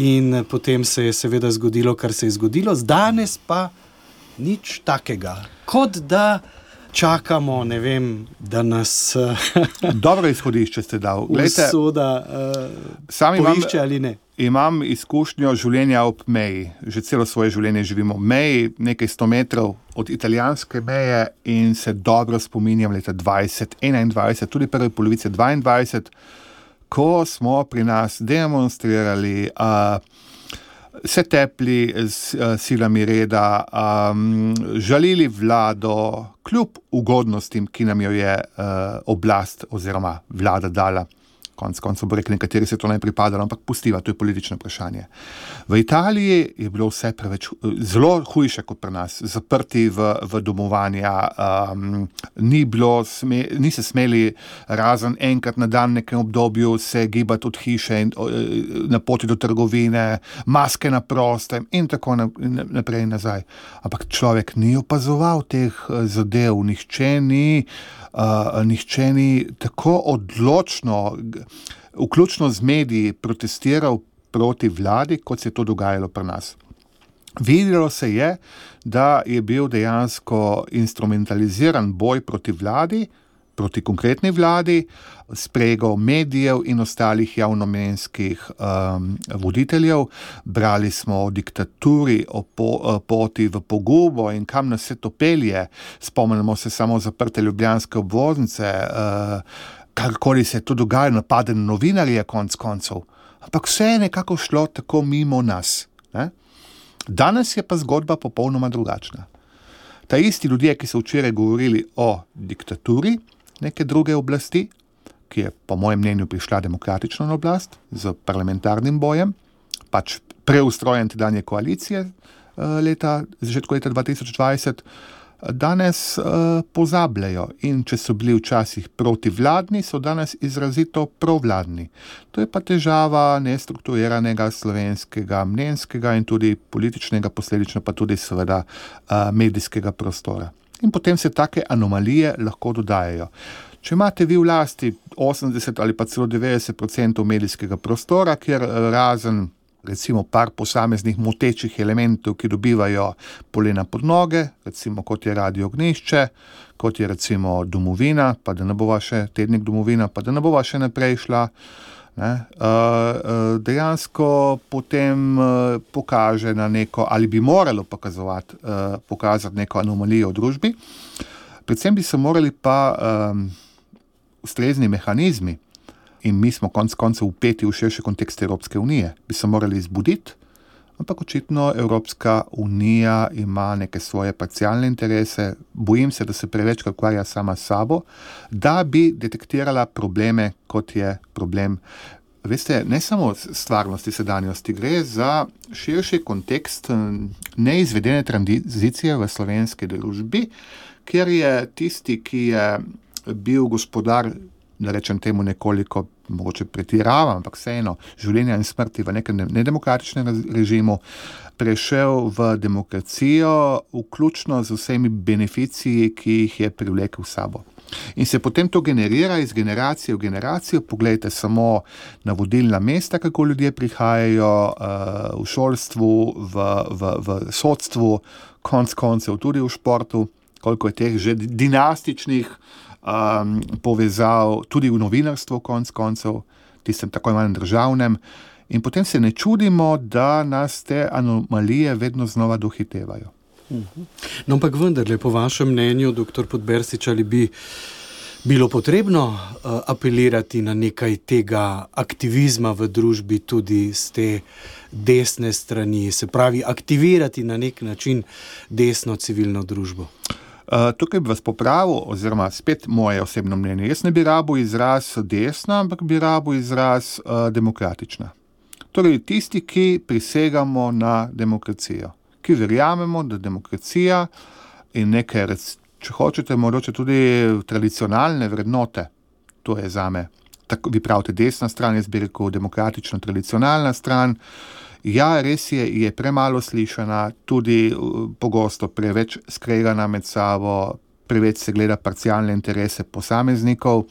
Speaker 2: in potem se je seveda zgodilo, kar se je zgodilo. Danes pa nič takega. Kot da čakamo, ne vem, da nas
Speaker 3: dobro izhodišče ste dal. Glejte,
Speaker 2: usoda uh, poišče ali ne.
Speaker 3: Imam izkušnjo življenja ob meji. Že celo svoje življenje živimo ob meji, nekaj sto metrov od italijanske meje in se dobro spominjam leta dvajset enaindvajset, tudi prve polovice dvaindvajset, ko smo pri nas demonstrirali, uh, se tepli s uh, silami reda, um, žalili vlado, kljub ugodnostim, ki nam jo je uh, oblast oziroma vlada dala. Konc koncev bo rekli, nekateri se to ne pripadalo, ampak pustiva, to je politično vprašanje. V Italiji je bilo vse preveč, zelo hujše kot pri nas, zaprti v, v domovanja, um, ni bilo, sme, ni se smeli razen enkrat na dan nekem obdobju se gibati od hiše in na poti do trgovine, maske na prostem in tako naprej in nazaj. Ampak človek ni opazoval teh zadev, nihče ni Uh, nihče ni tako odločno, vključno z mediji, protestiral proti vladi, kot se je to dogajalo pri nas. Videlo se je, da je bil dejansko instrumentaliziran boj proti vladi, proti konkretni vladi, sprego medijev in ostalih javnomnenjskih um, voditeljev. Brali smo o diktaturi, o po, poti v pogubo in kam nas se to pelje. Spomnimo se samo zaprte ljubljanske obvoznice, uh, karkoli se je to dogajalo, napade na novinarje konc koncev. Ampak vse je nekako šlo tako mimo nas. Ne? Danes je pa zgodba popolnoma drugačna. Ta isti ljudje, ki so včeraj govorili o diktaturi neke druge oblasti, ki je po mojem mnenju prišla demokratično na oblast z parlamentarnim bojem, pač preustrojen tedanje koalicije leta, začetku leta dva tisoč dvajset, danes uh, pozabljajo in če so bili včasih protivladni, so danes izrazito provladni. To je pa težava nestrukturiranega slovenskega mnenjskega in tudi političnega, posledično pa tudi seveda uh, medijskega prostora. In potem se take anomalije lahko dodajajo. Če imate vi v lasti osemdeset ali pa celo devetdeset odstotkov medijskega prostora, kjer razen recimo par posameznih motečih elementov, ki dobivajo polena pod noge, recimo kot je Radio Ognjišče, kot je recimo Domovina, pa da ne bova še tednik Domovina, pa da ne bova še naprej šla, ne, dejansko potem pokaže na neko, ali bi moralo pokazati, pokazati neko anomalijo v družbi. Predvsem bi se morali pa um, ustrezni mehanizmi, in mi smo konc koncev upeti v širši kontekst Evropske unije, bi se morali izbuditi, ampak očitno Evropska unija ima neke svoje parcialne interese, bojim se, da se preveč ukvarja sama s sabo, da bi detektirala probleme, kot je problem. Veste, ne samo stvarnosti sedanjosti, gre za širši kontekst neizvedene tranzicije v slovenski družbi, kjer je tisti, ki je bil gospodar, da rečem temu nekoliko, mogoče pretiravam, ampak vseeno, življenja in smrti v nekem nedemokratičnem režimu, prešel v demokracijo, vključno z vsemi beneficiji, ki jih je privlekel v sabo. In se potem to generira iz generacije v generacijo. Poglejte samo na vodilna mesta, kako ljudje prihajajo uh, v šolstvu, v, v, v sodstvu, konc koncev tudi v športu, koliko je teh že dinastičnih Um, povezal tudi v novinarstvu konc koncev, tistem tako imenem državnem, in potem se ne čudimo, da nas te anomalije vedno znova dohitevajo.
Speaker 2: No, ampak vendarle, po vašem mnenju, doktor Podbersič, ali bi bilo potrebno uh, apelirati na nekaj tega aktivizma v družbi tudi z te desne strani, se pravi aktivirati na nek način desno civilno družbo?
Speaker 3: Uh, tukaj bi vas popravil, oziroma spet moje osebno mnenje. Jaz ne bi rabil izraz desna, ampak bi rabil izraz uh, demokratična. Torej, tisti, ki prisegamo na demokracijo, ki verjamemo, da demokracija in neke, če hočete, mogoče tudi tradicionalne vrednote, to je zame, tako vi pravite desna stran, jaz bi rekel demokratično tradicionalna stran, ja, res je, je premalo slišana, tudi pogosto preveč skregana med sabo, preveč se gleda parcialne interese posameznikov.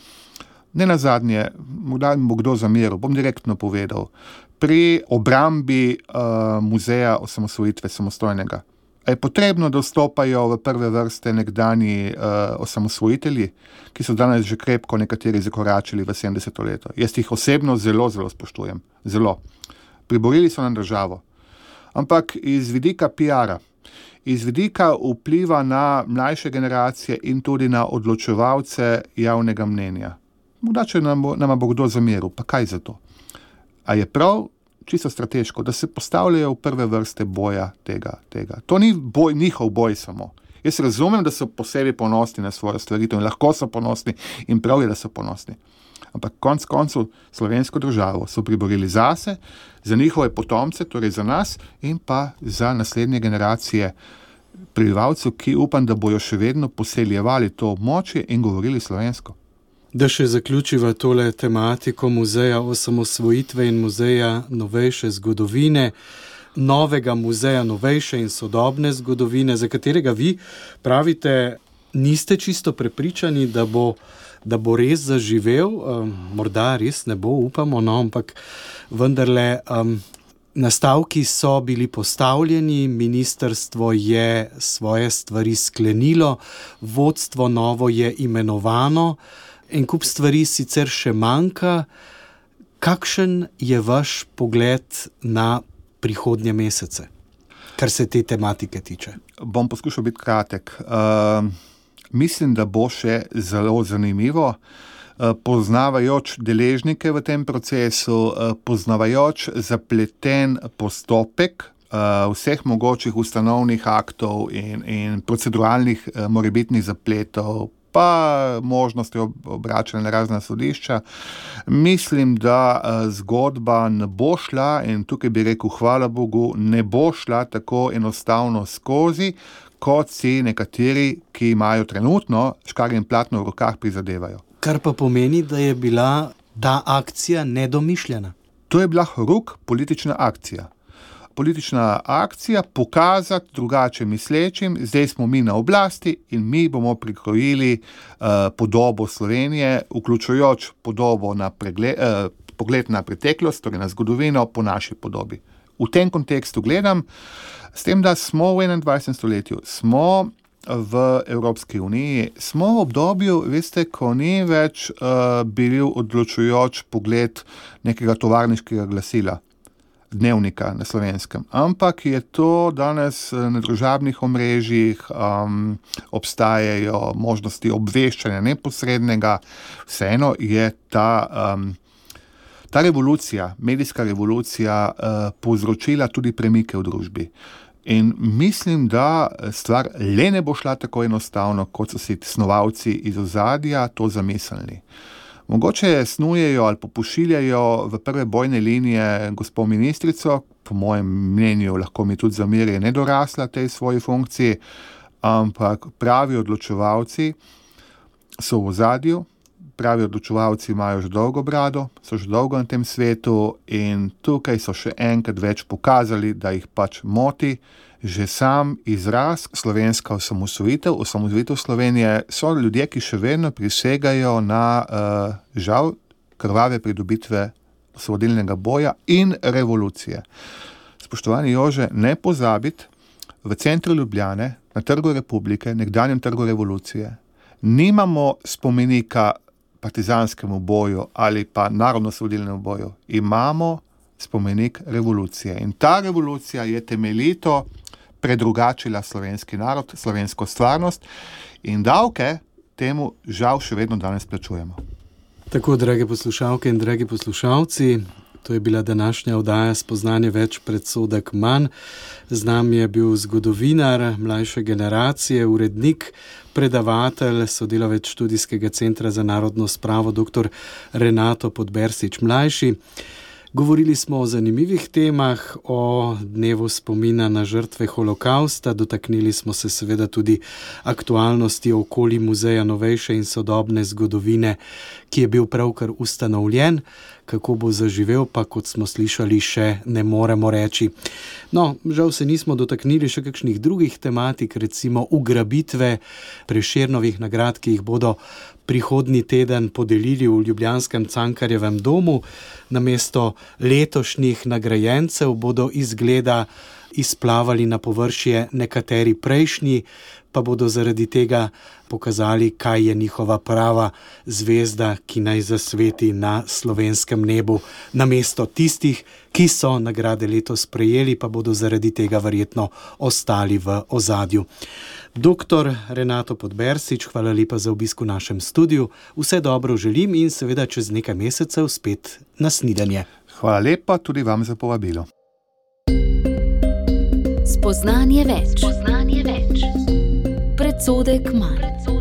Speaker 3: Ne nazadnje, morda mi bo kdo zameril, bom direktno povedal, pri obrambi uh, muzeja osamosvojitve samostojnega. A je potrebno, da vstopajo v prve vrste nekdani uh, osamosvojitelji, ki so danes že krepko nekateri zakoračili v sedemdeseto leto. Jaz jih osebno zelo, zelo spoštujem. Zelo. Priborili so na državo. Ampak iz vidika P R-a, iz vidika vpliva na mlajše generacije in tudi na odločevalce javnega mnenja. Morda, če nam bo, nam bo kdo zameril, pa kaj za to? A je prav, čisto strateško, da se postavljajo v prve vrste boja tega, tega. To ni boj, njihov boj samo. Jaz razumem, da so posebej ponosni na svojo stvaritev in lahko so ponosni in prav je, da so ponosni. Ampak konc koncev slovensko državo so priborili zase, za njihove potomce, torej za nas in pa za naslednje generacije prebivalcev, ki upam, da bojo še vedno poseljevali to območje in govorili slovensko.
Speaker 2: Da še zaključiva tole tematiko muzeja osamosvojitve in muzeja novejše zgodovine, novega muzeja novejše in sodobne zgodovine, za katerega vi pravite, niste čisto prepričani, da bo, da bo res zaživel, um, morda res ne bo, upamo, no, ampak vendarle um, nastavki so bili postavljeni, ministrstvo je svoje stvari sklenilo, vodstvo novo je imenovano, en kup stvari sicer še manjka. Kakšen je vaš pogled na prihodnje mesece, kar se te tematike tiče?
Speaker 3: Bom poskušal biti kratek. Uh, mislim, da bo še zelo zanimivo, uh, poznavajoč deležnike v tem procesu, uh, poznavajoč zapleten postopek uh, vseh mogočih ustanovnih aktov in, in proceduralnih uh, morebitnih zapletov, pa možnosti obračanja na razna sodišča. Mislim, da zgodba ne bo šla, in tukaj bi rekel, hvala Bogu, ne bo šla tako enostavno skozi, kot si nekateri, ki imajo trenutno škarje in platno v rokah, prizadevajo.
Speaker 2: Kar pa pomeni, da je bila ta akcija nedomišljena.
Speaker 3: To je bila horuk politična akcija. Politična akcija pokazati drugače mislečim, zdaj smo mi na oblasti in mi bomo prikrojili uh, podobo Slovenije, vključujoč podobo na pregled, uh, pogled na preteklost, torej na zgodovino po naši podobi. V tem kontekstu gledam, s tem, da smo v enaindvajsetem stoletju, smo v Evropski uniji, smo v obdobju, veste, ko ni več uh, bil odločujoč pogled nekega tovarniškega glasila, dnevnika na Slovenskem, ampak je to danes na družabnih omrežjih, um, obstajajo možnosti obveščanja neposrednega, vseeno je ta, um, ta revolucija, medijska revolucija uh, povzročila tudi premike v družbi. In mislim, da stvar le ne bo šla tako enostavno, kot so si snovalci iz ozadja to zamislili. Mogoče snujejo ali popošiljajo v prve bojne linije gospo ministrico, po mojem mnenju lahko mi tudi zameri, je nedorasla tej svoji funkciji, ampak pravi odločevalci so v ozadju, pravi odločevalci imajo že dolgo brado, so že dolgo na tem svetu in tukaj so še enkrat več pokazali, da jih pač moti. Že sam izraz slovenska osamosvojitev, osamosvojitev Slovenije, so ljudje, ki še vedno prisegajo na uh, žal krvave pridobitve osvobodilnega boja in revolucije. Spoštovani Jože, ne pozabiti, v centru Ljubljane, na Trgu Republike, nekdanjem Trgu revolucije, nimamo spomenika partizanskemu boju ali pa narodno-osvobodilnemu boju. Imamo spomenik revolucije. In ta revolucija je temeljito predrugačila slovenski narod, slovensko stvarnost in davke, temu žal še vedno danes plačujemo.
Speaker 2: Tako, drage poslušalke in dragi poslušalci, to je bila današnja oddaja Spoznanje več, predsodek manj. Z nami je bil zgodovinar mlajše generacije, urednik, predavatelj, sodelavec Študijskega centra za narodno spravo, dr. Renato Podbersič mlajši. Govorili smo o zanimivih temah, o dnevu spomina na žrtve holokausta, dotaknili smo se seveda tudi aktualnosti okoli Muzeja novejše in sodobne zgodovine, ki je bil pravkar ustanovljen. Kako bo zaživel, pa kot smo slišali, še ne moremo reči. No, žal se nismo dotaknili še kakšnih drugih tematik, recimo ugrabitve Prešernovih nagrad, ki jih bodo prihodnji teden podelili v ljubljanskem Cankarjevem domu. Namesto letošnjih nagrajencev bodo izgleda izplavali na površje nekateri prejšnji, pa bodo zaradi tega pokazali, kaj je njihova prava zvezda, ki naj zasveti na slovenskem nebu. Namesto tistih, ki so nagrade letos prejeli, pa bodo zaradi tega verjetno ostali v ozadju. doktor Renato Podbersič, hvala lepa za obisk v našem studiu. Vse dobro želim in seveda čez nekaj mesecev spet na snidenje.
Speaker 3: Hvala lepa tudi vam za povabilo.
Speaker 1: Spoznanje več. Spoznanje več. Predsodek manj.